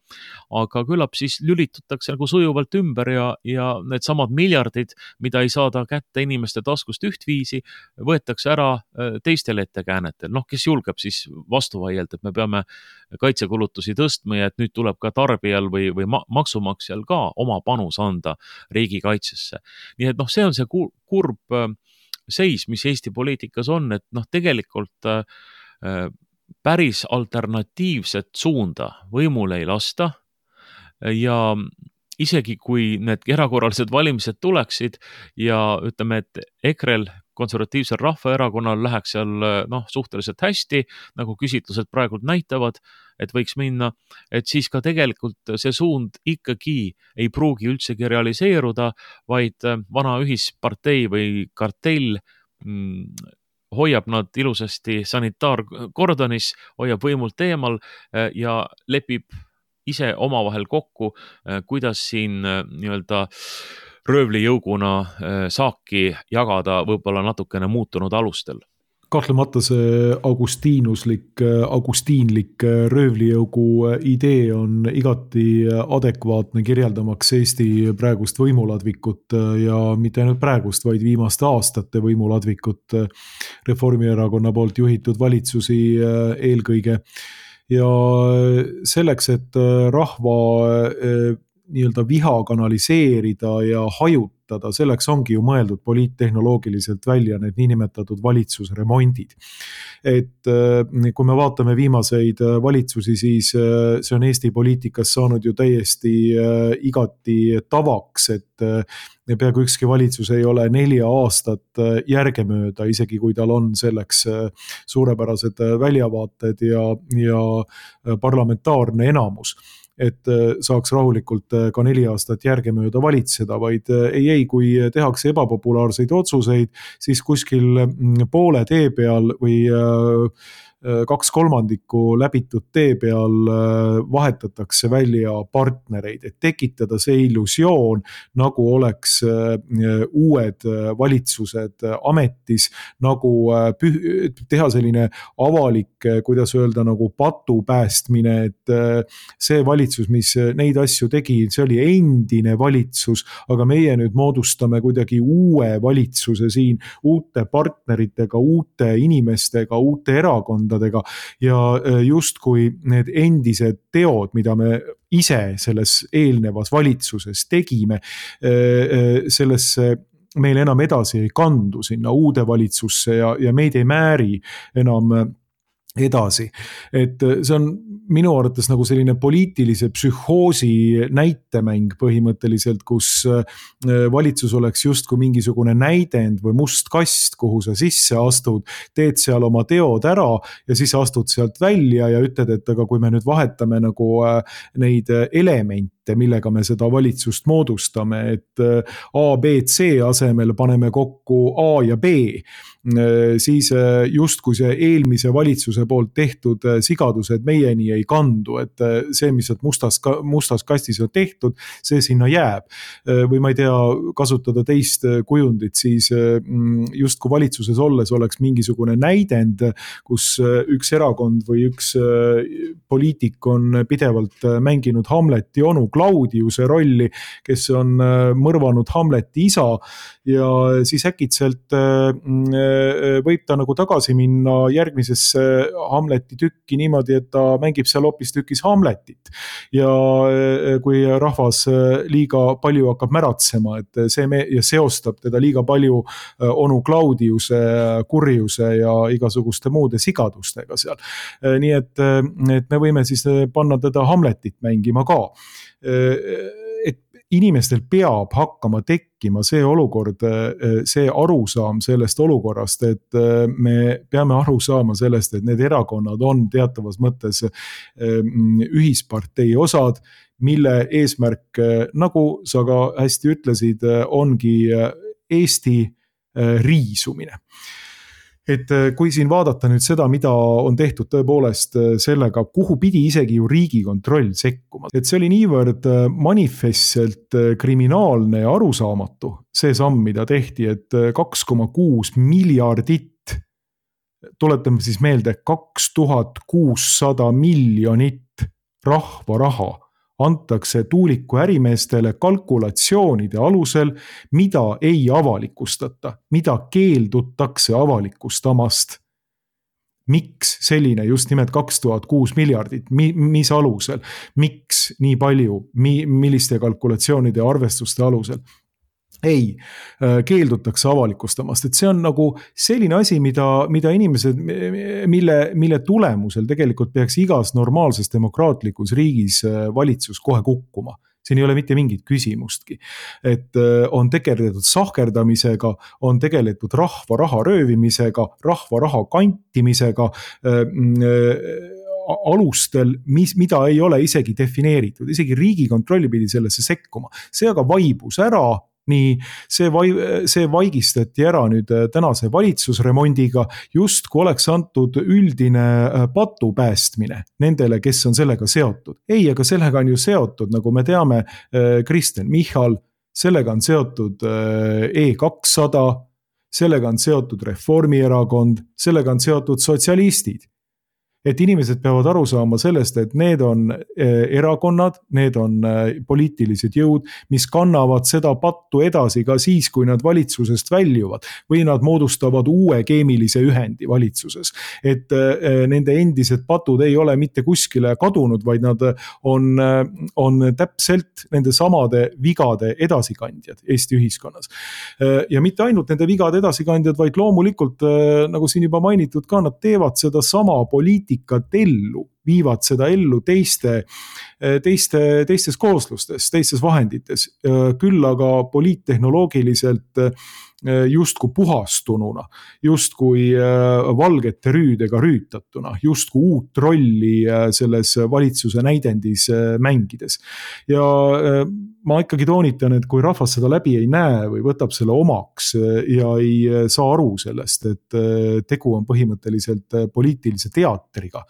aga küllap siis lülitutakse nagu sujuvalt ümber ja, ja need samad miljardid, mida ei saada kätte inimeste taskust ühtviisi, võetakse ära teistel ettekäänetel. Noh, kes julgeb siis vastu vaielda, et me peame kaitsekulutusi tõstma ja et nüüd tuleb ka tarbijal või, või maksumaksjal ka oma panus anda riigikaitsesse. Nii et noh, see on see kurb seis, mis Eesti poliitikas on, et noh, tegelikult päris alternatiivset suunda võimule ei lasta ja isegi kui need erakorralised valimised tuleksid ja ütleme, et EKREL, konservatiivsel rahvaerakonnal läheks seal noh, suhteliselt hästi, nagu küsitlused praegult näitavad, et võiks minna, et siis ka tegelikult see suund ikkagi ei pruugi üldsegi realiseeruda, vaid vana ühispartei või kartell mm, hoiab nad ilusasti sanitaarkordonis, hoiab võimult eemal ja lepib ise omavahel kokku, kuidas siin nii-öelda röövlijõuguna saaki jagada võib-olla natukene muutunud alustel. Kahtlemata see augustiinuslik, augustiinlik röövlijõugu idee on igati adekvaatne kirjeldamaks Eesti praegust võimuladvikut ja mitte ainult praegust, vaid viimaste aastate võimuladvikut Reformierakonna poolt juhitud valitsusi eelkõige. Ja selleks, et rahva nii-öelda viha kanaliseerida ja hajutada, selleks ongi ju mõeldud poliittehnoloogiliselt välja need niinimetatud valitsusremondid. Et kui me vaatame viimaseid valitsusi, siis see on Eesti poliitikas saanud ju täiesti igati tavaks, et peaaegu ükski valitsus ei ole nelja aastat järgemööda, isegi kui tal on selleks suurepärased väljavaated ja, ja parlamentaarne enamus, et saaks rahulikult ka neli aastat järgemööda valitseda, vaid ei, ei, kui tehakse ebapopulaarseid otsuseid, siis kuskil poole tee peal või kaks kolmandikku läbitud tee peal vahetatakse välja partnereid, et tekitada see illusioon, nagu oleks uued valitsused ametis, nagu teha selline avalik, kuidas öelda, nagu patupäästmine, et see valitsus, mis neid asju tegi, see oli endine valitsus, aga meie nüüd moodustame kuidagi uue valitsuse siin, uute partneritega, uute inimestega, uute erakondadega, ja justkui need endised teod, mida me ise selles eelnevas valitsuses tegime, sellesse meil enam edasi ei kandu sinna uude valitsusse ja, ja meid ei määri enam edasi. Et see on minu arvates nagu selline poliitilise psühhoosi näitemäng põhimõtteliselt, kus valitsus oleks justkui mingisugune näidend või must kast, kuhu sa sisse astud, teed seal oma teod ära ja siis astud sealt välja ja ütled, et aga kui me nüüd vahetame nagu neid elemente, millega me seda valitsust moodustame, et A, B, C asemel paneme kokku A ja B, siis justkui see eelmise valitsuse poolt tehtud sigadused meieni ei kandu, et see, mis mustas, mustas kastis on tehtud, see sinna jääb. Või ma ei tea, kasutada teist kujundit, siis justkui valitsuses olles oleks mingisugune näidend, kus üks erakond või üks poliitik on pidevalt mänginud Hamleti onu Claudiuse rolli, kes on mõrvanud Hamleti isa ja siis äkitselt võib ta nagu tagasi minna järgmisesse Hamleti tükki niimoodi, et ta mängib seal hoopis tükis Hamletit. Ja kui rahvas liiga palju hakkab märatsema, et see me- ja seostab teda liiga palju onu Claudiuse kurjuse ja igasuguste muude sigadustega seal. Nii et, et me võime siis panna teda Hamletit mängima ka. Et inimestel peab hakkama tekkima see olukord, see arusaam sellest olukorrast, et me peame aru saama sellest, et need erakonnad on teatavas mõttes ühispartei osad, mille eesmärk, nagu sa ka hästi ütlesid, ongi Eesti riisumine. Et kui siin vaadata nüüd seda, mida on tehtud tõepoolest sellega, kuhu pidi isegi ju Riigikontroll sekkuma. Et see oli niivõrd manifestselt kriminaalne ja arusaamatu, see samm, mida tehti, et kaks koma kuus miljardit, tuletame siis meelde, kaks tuhat kuussada miljonit rahva raha antakse tuuliku ärimeestele kalkulatsioonide alusel, mida ei avalikustata, mida keeldutakse avalikustamast. Miks selline just nimelt kaks tuhat kuus miljardit, mis alusel, miks nii palju, milliste kalkulatsioonide ja arvestuste alusel? Ei, keeldutakse avalikustamast, et see on nagu selline asi, mida, mida inimesed, mille, mille tulemusel tegelikult peaks igas normaalses demokraatlikus riigis valitsus kohe kukkuma. Siin ei ole mitte mingit küsimustki. Et on tegeletud sahkerdamisega, on tegeletud rahva raha röövimisega, rahva raha kantimisega, alustel, mis, mida ei ole isegi defineeritud. Isegi Riigikontrolli pidi sellesse sekkuma. See aga vaibus ära. Nii, see, vai, see vaigistati ära nüüd tänase valitsusremondiga, just kui oleks antud üldine patu päästmine nendele, kes on sellega seotud. Ei, aga sellega on ju seotud, nagu me teame, Kristen Michal, sellega on seotud E kakssada, sellega on seotud Reformierakond, sellega on seotud sotsialistid. Et inimesed peavad aru saama sellest, et need on erakonnad, need on poliitilised jõud, mis kannavad seda pattu edasi ka siis, kui nad valitsusest väljuvad või nad moodustavad uue keemilise ühendi valitsuses. Et nende endised patud ei ole mitte kuskile kadunud, vaid nad on, on täpselt nende samade vigade edasikandjad Eesti ühiskonnas. Ja mitte ainult nende vigade edasikandjad, vaid loomulikult, nagu siin juba mainitud ka, nad teevad seda sama poliitika ellu, viivad seda ellu teiste, teiste, teistes kooslustes, teistes vahendites, küll aga poliittehnoloogiliselt justku puhastununa, justku valgete rüüdega rüütatuna, justku uut rolli selles valitsuse näidendis mängides. Ja ma ikkagi toonitan, et kui rahvas seda läbi ei näe või võtab selle omaks ja ei saa aru sellest, et tegu on põhimõtteliselt poliitilise teatriga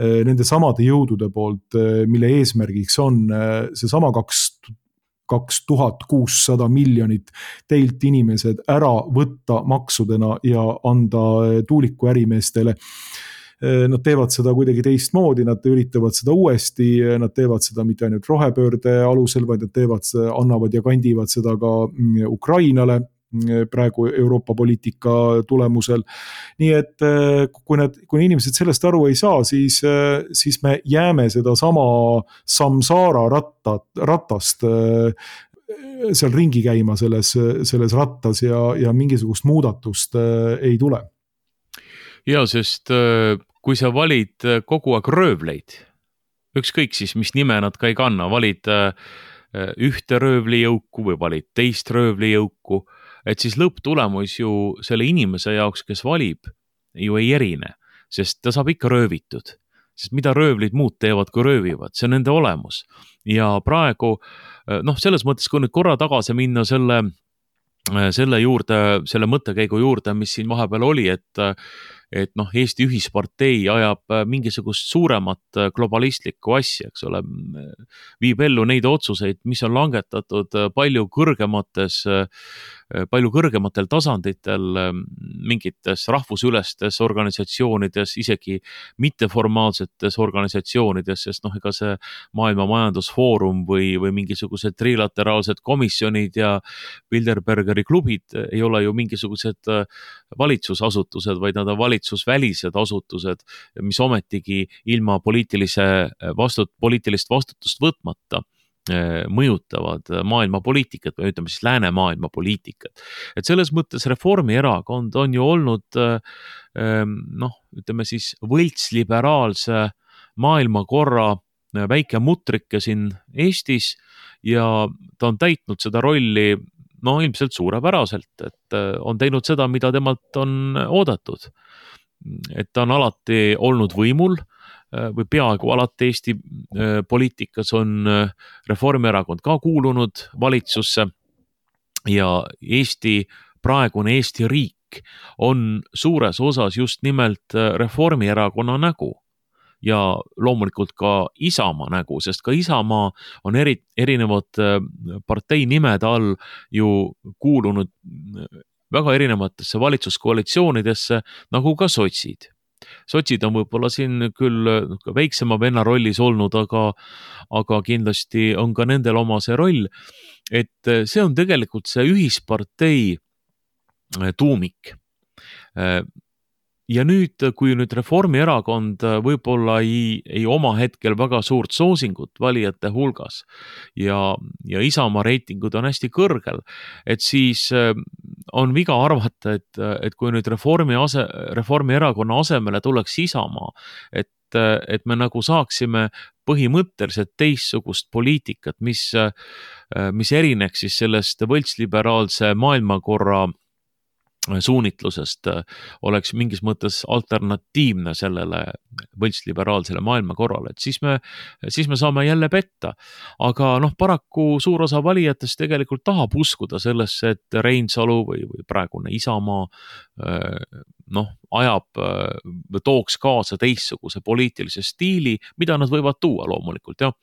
nende samade jõudude poolt, mille eesmärgiks on see sama kaks kaks tuhat kuussada miljonit teilt inimesed ära võtta maksudena ja anda tuuliku ärimeestele. Nad teevad seda kuidagi teistmoodi, nad üritavad seda uuesti, nad teevad seda mitte ainult rohepöörde alusel, vaid nad teevad, annavad ja kandivad seda ka Ukrainale praegu Euroopa poliitika tulemusel. Nii et kui, need, kui inimesed sellest aru ei saa, siis, siis me jääme seda sama samsaara rattat, ratast seal ringi käima selles, selles rattas ja, ja mingisugust muudatust ei tule. Ja, sest kui sa valid kogu aeg röövleid, ükskõik siis, mis nime nad ka ei kanna, valid ühte röövlijõuku või valid teist röövlijõuku, et siis lõpptulemus ju selle inimese jaoks, kes valib, ju ei erine, sest ta saab ikka röövitud. Sest mida röövlid muud teevad, kui röövivad, see on nende olemus. Ja praegu, noh, selles mõttes, kui nüüd korra tagasi minna selle, selle juurde, selle mõttekäigu juurde, mis siin vahepeal oli, et, et noh, Eesti Ühispartei ajab mingisugust suuremat globalistlikku asja, eks ole, viib ellu neid otsuseid, mis on langetatud palju kõrgemates, palju kõrgematel tasanditel mingites rahvusülestes organisatsioonides, isegi mitteformaalsetes organisatsioonides, sest noh, ega see Maailma Majandusfoorum või, või mingisugused trilateraalsed komisjonid ja Bilderbergeri klubid ei ole ju mingisugused valitsusasutused, vaid nad on valitsusvälised asutused, mis ometigi ilma poliitilise vastut-, poliitilist vastutust võtmata mõjutavad maailma poliitikat või ütleme siis läänemaailma poliitikat. Et selles mõttes Reformierakond on ju olnud noh, ütleme siis võltsliberaalse maailmakorra väike mutrike siin Eestis ja ta on täitnud seda rolli no ilmselt suurepäraselt, et on teinud seda, mida temalt on oodatud. Et ta on alati olnud võimul või peaaegu alati Eesti poliitikas on Reformierakond ka kuulunud valitsusse ja Eesti, praegune Eesti riik on suures osas just nimelt Reformierakonna nägu ja loomulikult ka Isamaa nägu, sest ka Isamaa on eri, erinevad partei nimede all ju kuulunud väga erinevatesse valitsuskoalitsioonidesse, nagu ka sotsid. Sotsid on võib-olla siin küll väiksema venna rollis olnud, aga, aga kindlasti on ka nendel oma see roll, et see on tegelikult see ühispartei tuumik. Ja nüüd, kui nüüd Reformierakond võib-olla ei, ei oma hetkel väga suurt soosingut valijate hulgas ja, ja Isamaa reitingud on hästi kõrgel, et siis on viga arvata, et, et kui nüüd Reformi ase, Reformierakonna asemele tuleks Isamaa, et, et me nagu saaksime põhimõtteliselt teistsugust poliitikat, mis, mis erineks siis sellest võltsliberaalse maailmakorra suunitlusest, oleks mingis mõttes alternatiivne sellele võltsliberaalsele maailmakorrale, et siis me, siis me saame jälle petta. Aga noh, paraku suur osa valijatest tegelikult tahab uskuda sellesse, et Reinsalu või, või praegune Isamaa noh, ajab, tooks kaasa teistsuguse poliitilise stiili, mida nad võivad tuua loomulikult, jah.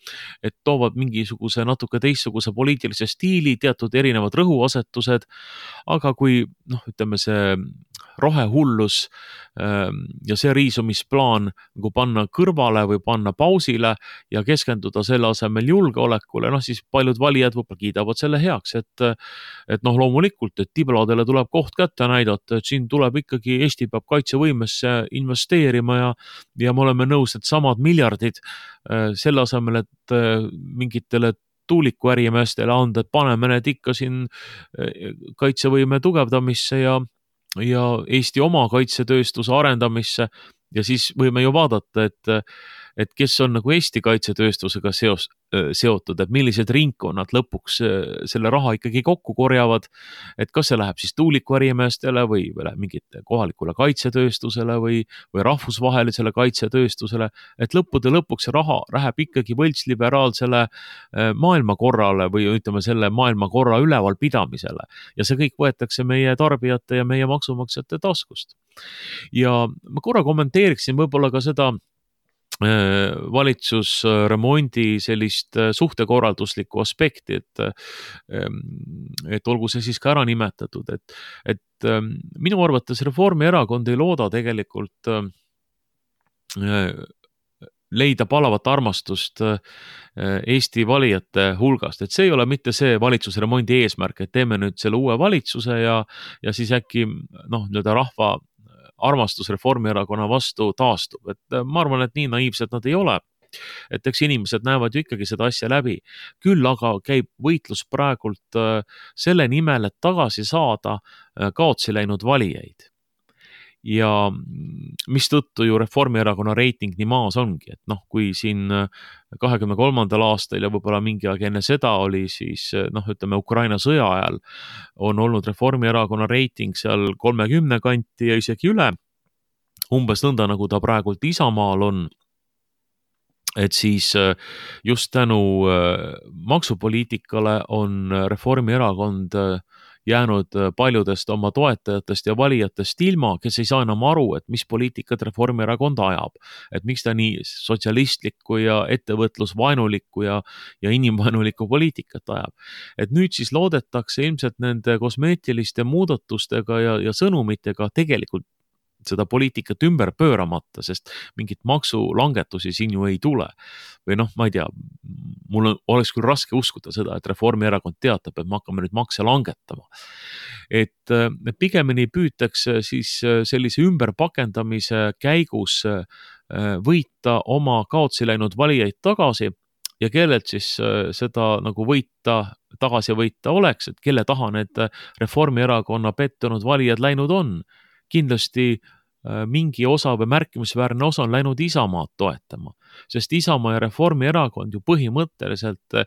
Et toovad mingisuguse natuke teistsuguse poliitilise stiili, teatud erinevad rõhuasetused, aga kui noh, ütleme see rohehullus ja see riisumisplaan nagu panna kõrvale või panna pausile ja keskenduda selle asemel julgeolekule, noh siis paljud valijad võib-olla kiidavad selle heaks, et, et noh loomulikult, et tibladele tuleb koht kätte näidata, et siin tuleb ikkagi, Eesti peab kaitsevõimesse investeerima ja, ja me oleme nõus, et samad miljardid selle asemel, et mingitele tuulikuärimeestele anda, et paneme need ikka siin kaitsevõime tugevdamisse ja ja Eesti oma kaitsetööstuse arendamisse ja siis võime ju vaadata, et, et kes on nagu Eesti kaitsetööstusega seos, seotud, et millised ringkonnad lõpuks selle raha ikkagi kokku korjavad, et kas see läheb siis tuulikuärimeestele või, või mingite kohalikule kaitsetööstusele või, või rahvusvahelisele kaitsetööstusele, et lõppude lõpuks see raha läheb ikkagi võltsliberaalsele maailmakorrale või ütleme selle maailmakorra ülevalpidamisele ja see kõik võetakse meie tarbijate ja meie maksumaksjate taskust. Ja ma korra kommenteeriksin võib-olla ka seda valitsusremondi sellist suhtekorralduslikku aspekti, et, et olgu see siis ka ära nimetatud, et, et minu arvates Reformierakond ei looda tegelikult leida palavat armastust Eesti valijate hulgast, et see ei ole mitte see valitsusremondi eesmärk, et teeme nüüd selle uue valitsuse ja, ja siis äkki noh, nii-öelda rahva armastus Reformierakonna vastu taastub, et ma arvan, et nii naiivsed nad ei ole, et eks inimesed näevad ju ikkagi seda asja läbi, küll aga käib võitlus praegult selle nimel, et tagasi saada kaotsi läinud valijaid. Ja mis tõttu ju Reformierakonna reiting nii maas ongi, et noh, kui siin kahekümne kolmandal aastal ja võib-olla mingi aeg enne seda oli siis noh, ütleme Ukraina sõja ajal on olnud Reformierakonna reiting seal kolmekümne kanti ja isegi üle, umbes nõnda nagu ta praegult Isamaal on, et siis just tänu maksupoliitikale on Reformierakond jäänud paljudest oma toetajatest ja valijatest ilma, kes ei saa enam aru, et mis poliitikat Reformierakond ajab. Et miks ta nii sotsialistlikku ja ettevõtlusvaenulikku ja, ja inimvaenulikku poliitikat ajab. Et nüüd siis loodetakse ilmselt nende kosmeetiliste muudatustega ja, ja sõnumitega tegelikult seda poliitikat ümber pööramata, sest mingit maksulangetusi siin ju ei tule. Või noh, ma ei tea, mul oleks küll raske uskuda seda, et Reformierakond teatab, et me hakkame nüüd makse langetama. Et pigemini püütakse siis sellise ümberpakendamise käigus võita oma kaotsi läinud valijaid tagasi ja kellelt siis seda nagu võita, tagasi võita oleks, et kelle taha need Reformierakonna pettunud valijad läinud on. Kindlasti mingi osa või märkimisväärne osa on läinud Isamaad toetama, sest Isamaa ja Reformierakond ju põhimõtteliselt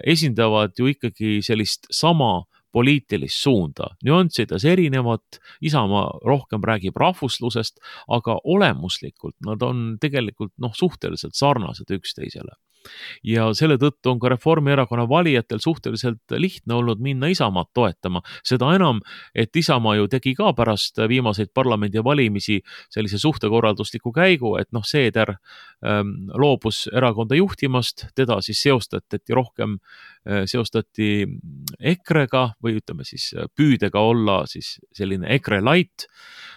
esindavad ju ikkagi sellist sama poliitilist suunda. Nüanssides erinevat, Isamaa rohkem räägib rahvuslusest, aga olemuslikult nad on tegelikult noh, suhteliselt sarnased üksteisele. Ja selle tõttu on ka Reformierakonna valijatel suhteliselt lihtne olnud minna Isamaad toetama. Seda enam, et Isamaa ju tegi ka pärast viimaseid parlamendi valimisi sellise suhtekorraldusliku käigu, et noh, Seeder ähm, loobus erakonda juhtimast, teda siis seostati rohkem, äh, seostati EKRE-ga või ütleme siis püüdega olla siis selline EKRE light,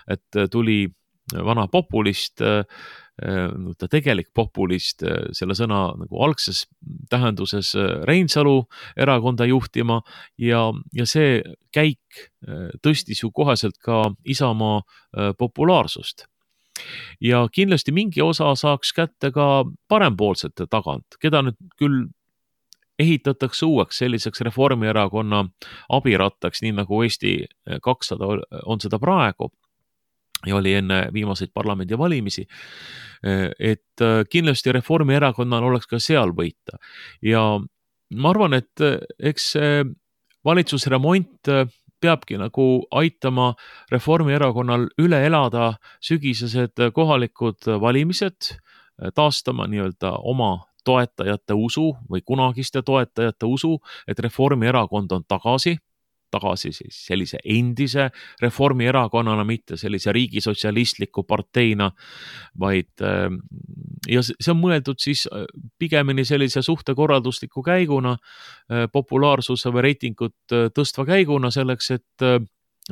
et tuli vana populist, ta tegelik populist, selle sõna nagu algses tähenduses Reinsalu erakonda juhtima ja, ja see käik tõstis ju koheselt ka Isamaa populaarsust. Ja kindlasti mingi osa saaks kätte ka parempoolsete tagant, keda nüüd küll ehitatakse uueks selliseks Reformierakonna abirattaks, nii nagu Eesti kakssada on seda praegu ja oli enne viimaseid parlamendi valimisi, et kindlasti Reformierakonnal oleks ka seal võita. Ja ma arvan, et eks valitsusremont peabki nagu aitama Reformierakonnal üle elada sügisesed kohalikud valimised, taastama nii-öelda oma toetajate usu või kunagiste toetajate usu, et Reformierakond on tagasi, tagasi siis sellise endise Reformierakonnana, mitte sellise riigisotsialistliku parteina, vaid ja see on mõeldud siis pigemini sellise suhtekorraldusliku käiguna, populaarsuse või reitingut tõstva käiguna selleks, et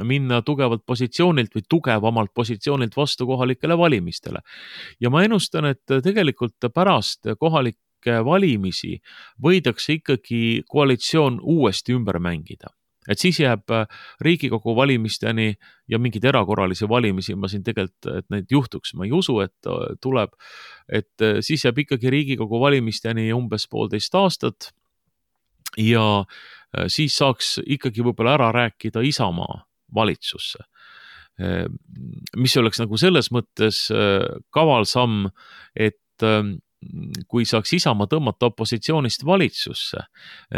minna tugevalt positsioonilt või tugevamalt positsioonilt vastu kohalikele valimistele. Ja ma ennustan, et tegelikult pärast kohalikke valimisi võidakse ikkagi koalitsioon uuesti ümber mängida. Et siis jääb Riigikogu valimisteni ja mingid erakorralisi valimisi, ma siin tegelikult, et neid juhtuks, ma ei usu, et tuleb, et siis jääb ikkagi Riigikogu valimisteni umbes poolteist aastat ja siis saaks ikkagi võib-olla ära rääkida Isamaa valitsusse, mis oleks nagu selles mõttes kaval samm, et kui saaks Isamaa tõmmata opositsioonist valitsusse,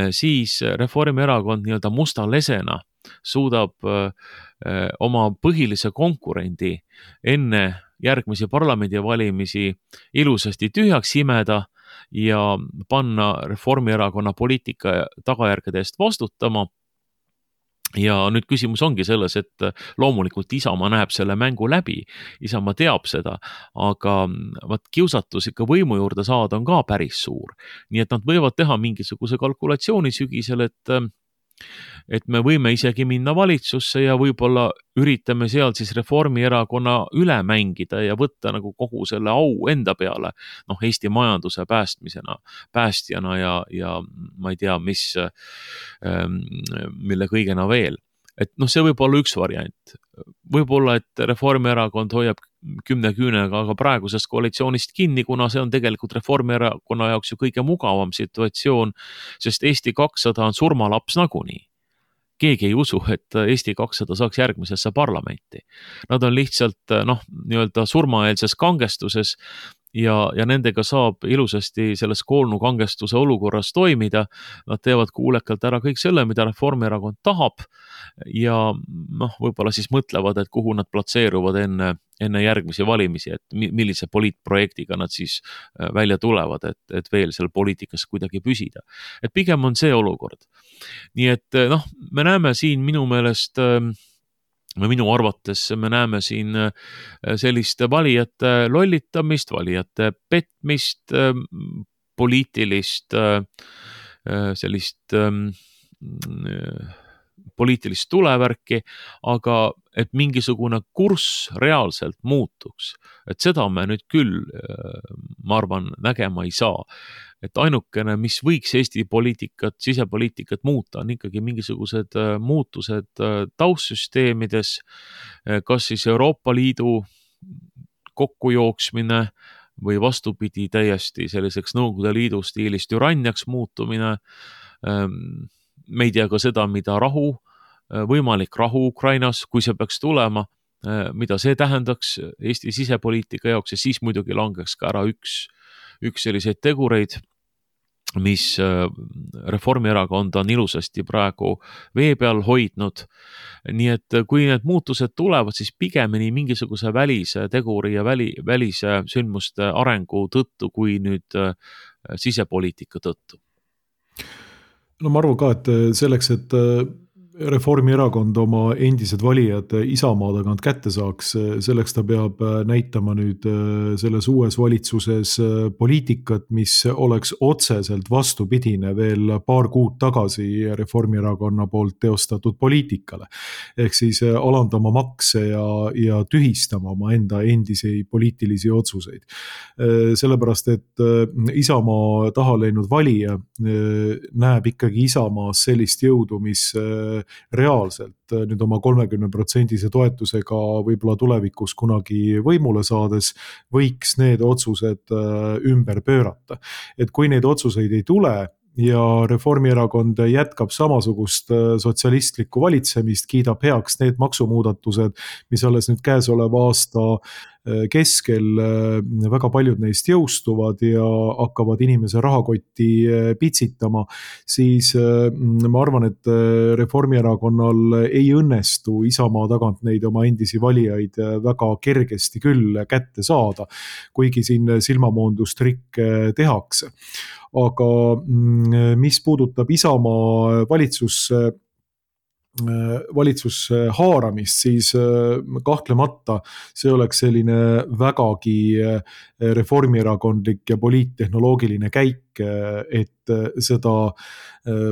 siis Reformierakond nii-öelda musta lesena suudab oma põhilise konkurendi enne järgmisi parlamendivalimisi ilusasti tühjaks imeda ja panna Reformierakonna poliitika tagajärgede eest vastutama. Ja nüüd küsimus ongi selles, et loomulikult Isamaa näeb selle mängu läbi, Isamaa teab seda, aga vaat kiusatus ikka võimu juurde saada on ka päris suur. Nii et nad võivad teha mingisuguse kalkulatsiooni sügisel, et, et me võime isegi minna valitsusse ja võib-olla üritame seal siis Reformierakonna üle mängida ja võtta nagu kogu selle au enda peale, noh Eesti majanduse päästmisena, päästjana ja, ja ma ei tea, mis, mille kõigena veel. Et noh, see võib olla üks variant. Võib-olla, et Reformierakond hoiab kümne küünega aga praegusest koalitsioonist kinni, kuna see on tegelikult Reformierakonna jaoks ju kõige mugavam situatsioon, sest Eesti kakssada on surmalaps nagunii. Keegi ei usu, et Eesti kakssada saaks järgmisesse parlamenti. Nad on lihtsalt noh, nii-öelda surmaeelses kangestuses ja, ja nendega saab ilusasti selles koolnukangestuse olukorras toimida. Nad teevad kuulekalt ära kõik selle, mida Reformierakond tahab ja noh, võib-olla siis mõtlevad, et kuhu nad platseeruvad enne, enne järgmisi valimisi, et millise poliitprojektiga nad siis välja tulevad, et, et veel seal poliitikas kuidagi püsida. Et pigem on see olukord. Nii et noh, me näeme siin minu meelest või minu arvates me näeme siin sellist valijate lollitamist, valijate petmist, poliitilist sellist poliitilist tulevärki, aga et mingisugune kurss reaalselt muutuks. Et seda me nüüd küll, ma arvan, nägema ei saa. Et ainukene, mis võiks Eesti poliitikat, sisepoliitikat muuta, on ikkagi mingisugused muutused taustsüsteemides, kas siis Euroopa Liidu kokkujooksmine või vastupidi täiesti selliseks Nõukogude Liidu stiilist türanniaks muutumine. Me ei tea ka seda, mida rahu, võimalik rahu Ukrainas, kui see peaks tulema, mida see tähendaks Eesti sisepoliitika jaoks ja siis muidugi langeks ka ära üks, üks selliseid tegureid, mis Reformierakond on ilusasti praegu vee peal hoidnud. Nii et kui need muutused tulevad, siis pigemini mingisuguse välise teguri ja väli, välise sündmuste arengu tõttu, kui nüüd sisepoliitika tõttu. No ma arvan ka, et selleks, et Reformierakond oma endised valijad Isamaa tagant kätte saaks, selleks ta peab näitama nüüd selles uues valitsuses poliitikat, mis oleks otseselt vastupidine veel paar kuud tagasi Reformierakonna poolt teostatud poliitikale. Ehk siis alandama makse ja, ja tühistama oma enda endisi poliitilisi otsuseid. Sellepärast, et Isamaa taha läinud valija näeb ikkagi Isamaas sellist jõudu, mis reaalselt nüüd oma kolmekümne protsendise toetusega võib-olla tulevikus kunagi võimule saades võiks need otsused ümber pöörata. Et kui neid otsuseid ei tule ja Reformierakond jätkab samasugust sotsialistlikku valitsemist, kiidab heaks need maksumuudatused, mis alles nüüd käesoleva aasta keskel väga paljud neist jõustuvad ja hakkavad inimese rahakotti pitsitama, siis ma arvan, et Reformierakonnal ei õnnestu Isamaa tagant neid oma endisi valijaid väga kergesti küll kätte saada, kuigi siin silmamoondustrikke tehakse. Aga mis puudutab Isamaa valitsus valitsus haaramist, siis kahtlemata see oleks selline vägagi reformierakondlik ja poliittehnoloogiline käik, et seda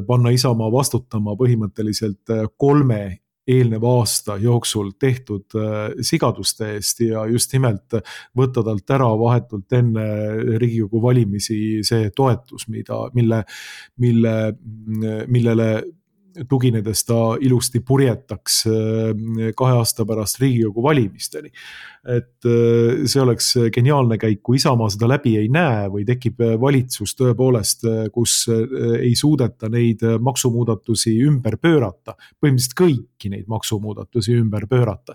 panna Isamaa vastutama põhimõtteliselt kolme eelneva aasta jooksul tehtud sigaduste eest ja just nimelt võtta talt ära vahetult enne Riigikogu valimisi see toetus, mida, mille, mille, millele tuginedes ta ilusti purjetaks kahe aasta pärast Riigikogu valimisteni. Et see oleks geniaalne käik, kui Isamaa seda läbi ei näe või tekib valitsus tõepoolest, kus ei suudeta neid maksumuudatusi ümber pöörata, põhimõtteliselt kõiki neid maksumuudatusi ümber pöörata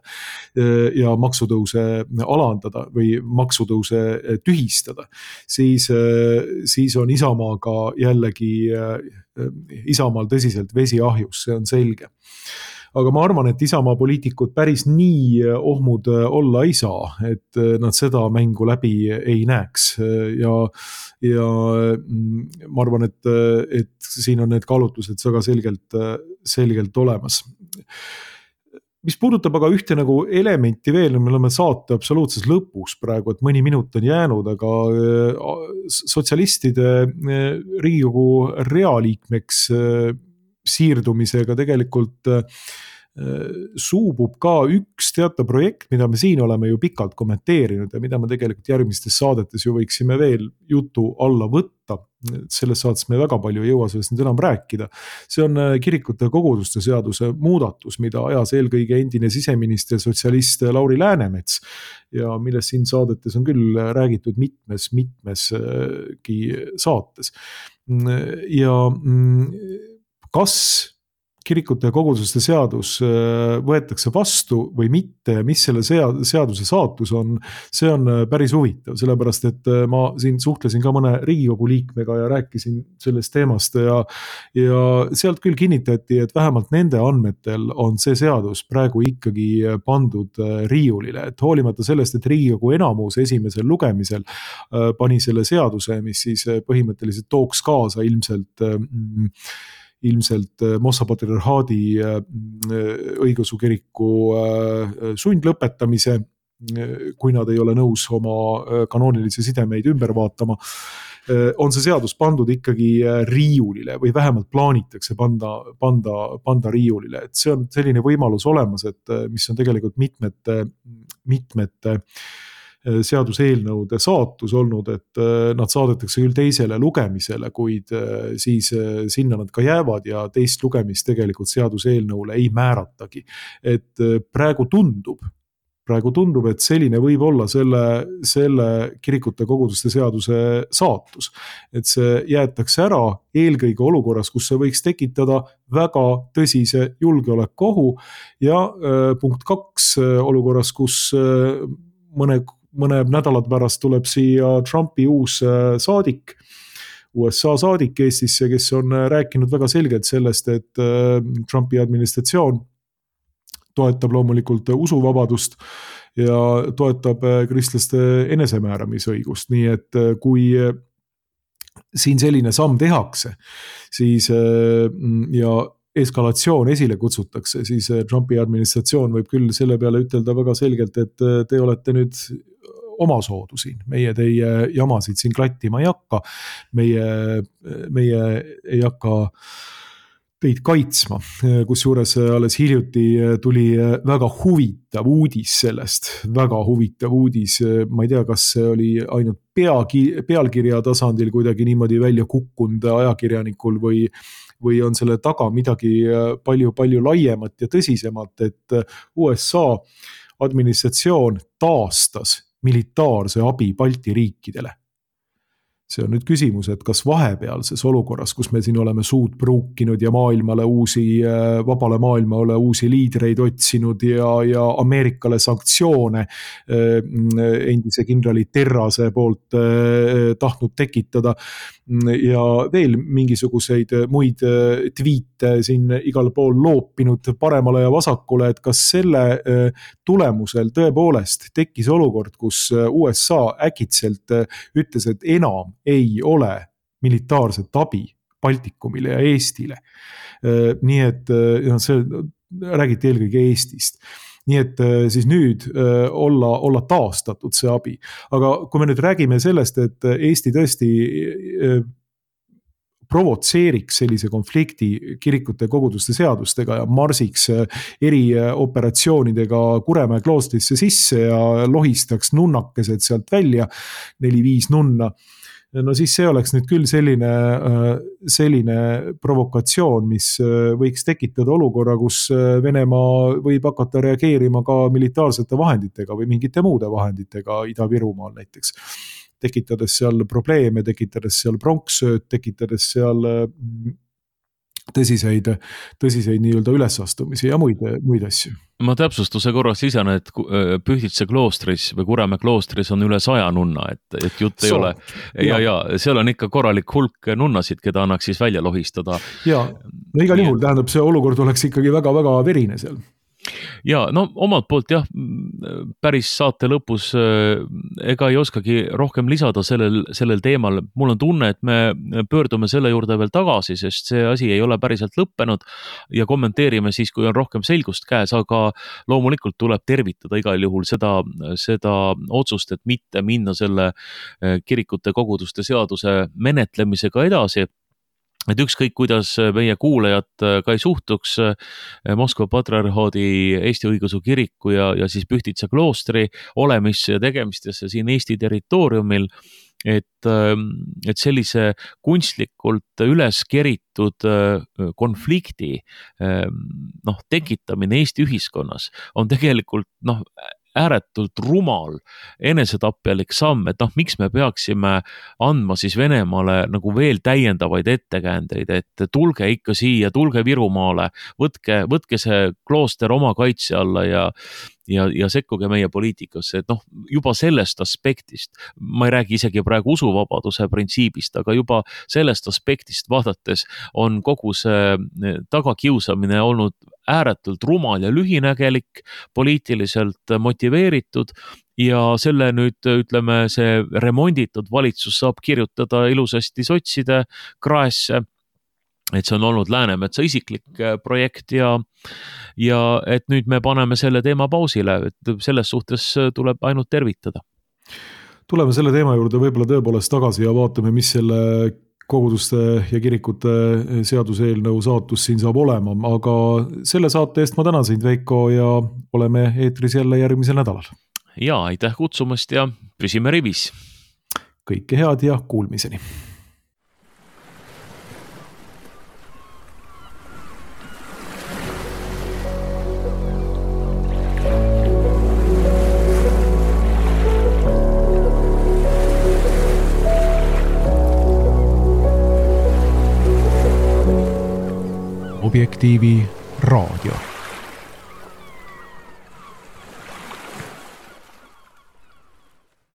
ja maksutõuse alandada või maksutõuse tühistada, siis, siis on Isamaaga jällegi Isamaal tõsiselt vesi ahjus, see on selge. Aga ma arvan, et Isamaa poliitikud päris nii ohmud olla ei saa, et nad seda mängu läbi ei näeks ja, ja ma arvan, et, et siin on need kaalutlused väga selgelt, selgelt olemas. Mis puudutab aga ühte nagu elementi veel, me oleme saate absoluutses lõpus praegu, et mõni minut on jäänud, aga sotsialistide Riigikogu realiikmeks siirdumisega tegelikult suubub ka üks teatav projekt, mida me siin oleme ju pikalt kommenteerinud ja mida me tegelikult järgmistes saadetes ju võiksime veel jutu alla võtta. Selles saates me väga palju ei jõua sellest nüüd enam rääkida. See on kirikute koguduste seaduse muudatus, mida ajas eelkõige endine siseminister sotsialist Lauri Läänemets ja millest siin saadetes on küll räägitud mitmes, mitmeski saates. Ja kas kirikute ja koguduste seadus võetakse vastu või mitte ja mis selle seaduse saatus on, see on päris huvitav, sellepärast et ma siin suhtlesin ka mõne Riigikogu liikmega ja rääkisin sellest teemast ja, ja sealt küll kinnitati, et vähemalt nende andmetel on see seadus praegu ikkagi pandud riiulile, et hoolimata sellest, et Riigikogu enamus esimesel lugemisel pani selle seaduse, mis siis põhimõtteliselt tooks kaasa ilmselt ilmselt Moskva patriarhaadi õigeusu kiriku sundlõpetamise, kui nad ei ole nõus oma kanoonilisi sidemeid ümber vaatama, on see seadus pandud ikkagi riiulile või vähemalt plaanitakse panda, panda, panda riiulile. Et see on selline võimalus olemas, et mis on tegelikult mitmete, mitmete seaduseelnõude saatus olnud, et nad saadetakse küll teisele lugemisele, kuid siis sinna nad ka jäävad ja teist lugemist tegelikult seaduseelnõule ei määratagi. Et praegu tundub, praegu tundub, et selline võib olla selle, selle kirikute koguduste seaduse saatus. Et see jäetakse ära eelkõige olukorras, kus see võiks tekitada väga tõsise julgeolekuohu ja punkt kaks olukorras, kus mõne mõned nädalad pärast tuleb siia Trumpi uus saadik, U S A saadik Eestisse, kes on rääkinud väga selgelt sellest, et Trumpi administratsioon toetab loomulikult usuvabadust ja toetab kristlaste enesemääramisõigust, nii et kui siin selline samm tehakse, siis ja eskalatsioon esile kutsutakse, siis Trumpi administratsioon võib küll selle peale ütelda väga selgelt, et te olete nüüd omasoodu siin, meie teie jamasid siin klattima ei hakka, meie, meie ei hakka teid kaitsma, kus juures alles hiljuti tuli väga huvitav uudis sellest, väga huvitav uudis, ma ei tea, kas see oli ainult peagi, pealkirja tasandil kuidagi niimoodi välja kukkunud ajakirjanikul või või on selle taga midagi palju, palju laiemat ja tõsisemat, et U S A administratsioon taastas militaarse abi Balti riikidele. See on nüüd küsimus, et kas vahepealses olukorras, kus me siin oleme suud pruukinud ja maailmale uusi, vabale maailmale uusi liidreid otsinud ja, ja Ameerikale sanktsioone endise kindrali Terrase poolt tahtnud tekitada ja veel mingisuguseid muid tweete siin igal pool loopinud paremale ja vasakule, et kas selle tulemusel tõepoolest tekkis olukord, kus U S A äkitselt ütles, et enam ei ole militaarset abi Baltikumile ja Eestile. Nii et see räägiti eelkõige Eestist. Nii et siis nüüd olla, olla taastatud see abi. Aga kui me nüüd räägime sellest, et Eesti tõesti provotseeriks sellise konflikti kirikute koguduste seadustega ja marsiks erioperatsioonidega Kuremäe kloostrisse sisse ja lohistaks nunnakesed sealt välja, neli-viis nunna, no siis see oleks nüüd küll selline, selline provokatsioon, mis võiks tekitada olukorra, kus Venemaa võib hakata reageerima ka militaarsete vahenditega või mingite muude vahenditega Ida-Virumaal näiteks. Tekitades seal probleeme, tekitades seal pronksööd, tekitades seal tõsiseid, tõsiseid nii-öelda ülesastumisi ja muid, muid asju. Ma täpsustuse korras lisan, et Pühtitsa kloostris või Kuremäe kloostris on üle saja nunna, et, et jutt ei so, ole. Ja, ja seal on ikka korralik hulk nunnasid, keda annaks siis välja lohistada. Ja, no igal juhul tähendab, see olukord oleks ikkagi väga-väga verine seal. Ja no omalt poolt jah, päris saate lõpus ega ei oskagi rohkem lisada sellel, sellel teemal. Mul on tunne, et me pöördume selle juurde veel tagasi, sest see asi ei ole päriselt lõppenud ja kommenteerime siis, kui on rohkem selgust käes, aga loomulikult tuleb tervitada igal juhul seda, seda otsust, et mitte minna selle kirikute koguduste seaduse menetlemisega edasi. Et ükskõik, kuidas meie kuulajad ka ei suhtuks Moskva patriarhaadi Eesti õigeusu kiriku ja, ja siis Pühtitsa kloostri olemisse ja tegemistesse siin Eesti territooriumil, et, et sellise kunstlikult üles keritud konflikti noh, tekitamine Eesti ühiskonnas on tegelikult noh, ääretult rumal enesetapjalik samm, et noh, miks me peaksime andma siis Venemaale nagu veel täiendavaid ettekäändeid, et tulge ikka siia, tulge Virumaale, võtke, võtke see klooster oma kaitse alla ja ja, ja sekkuge meie poliitikasse, et noh, juba sellest aspektist, ma ei räägi isegi praegu usuvabaduse printsiibist, aga juba sellest aspektist vaadates on kogu see tagakiusamine olnud ääretult rumal ja lühinägelik, poliitiliselt motiveeritud ja selle nüüd, ütleme, see remonditud valitsus saab kirjutada ilusasti sotside kraesse, et see on olnud Läänemetsa isiklik projekt ja, ja et nüüd me paneme selle teema pausile, et selles suhtes tuleb ainult tervitada. Tuleme selle teema juurde võib-olla tõepoolest tagasi ja vaatame, mis selle koguduste ja kirikute seaduseelnõu saatus siin saab olema, aga selle saate eest ma tänan sind, Veiko, ja oleme eetris jälle järgmisel nädalal. Ja, aitäh kutsumast ja püsime rivis. Kõike head ja kuulmiseni. Objektiivi raadio.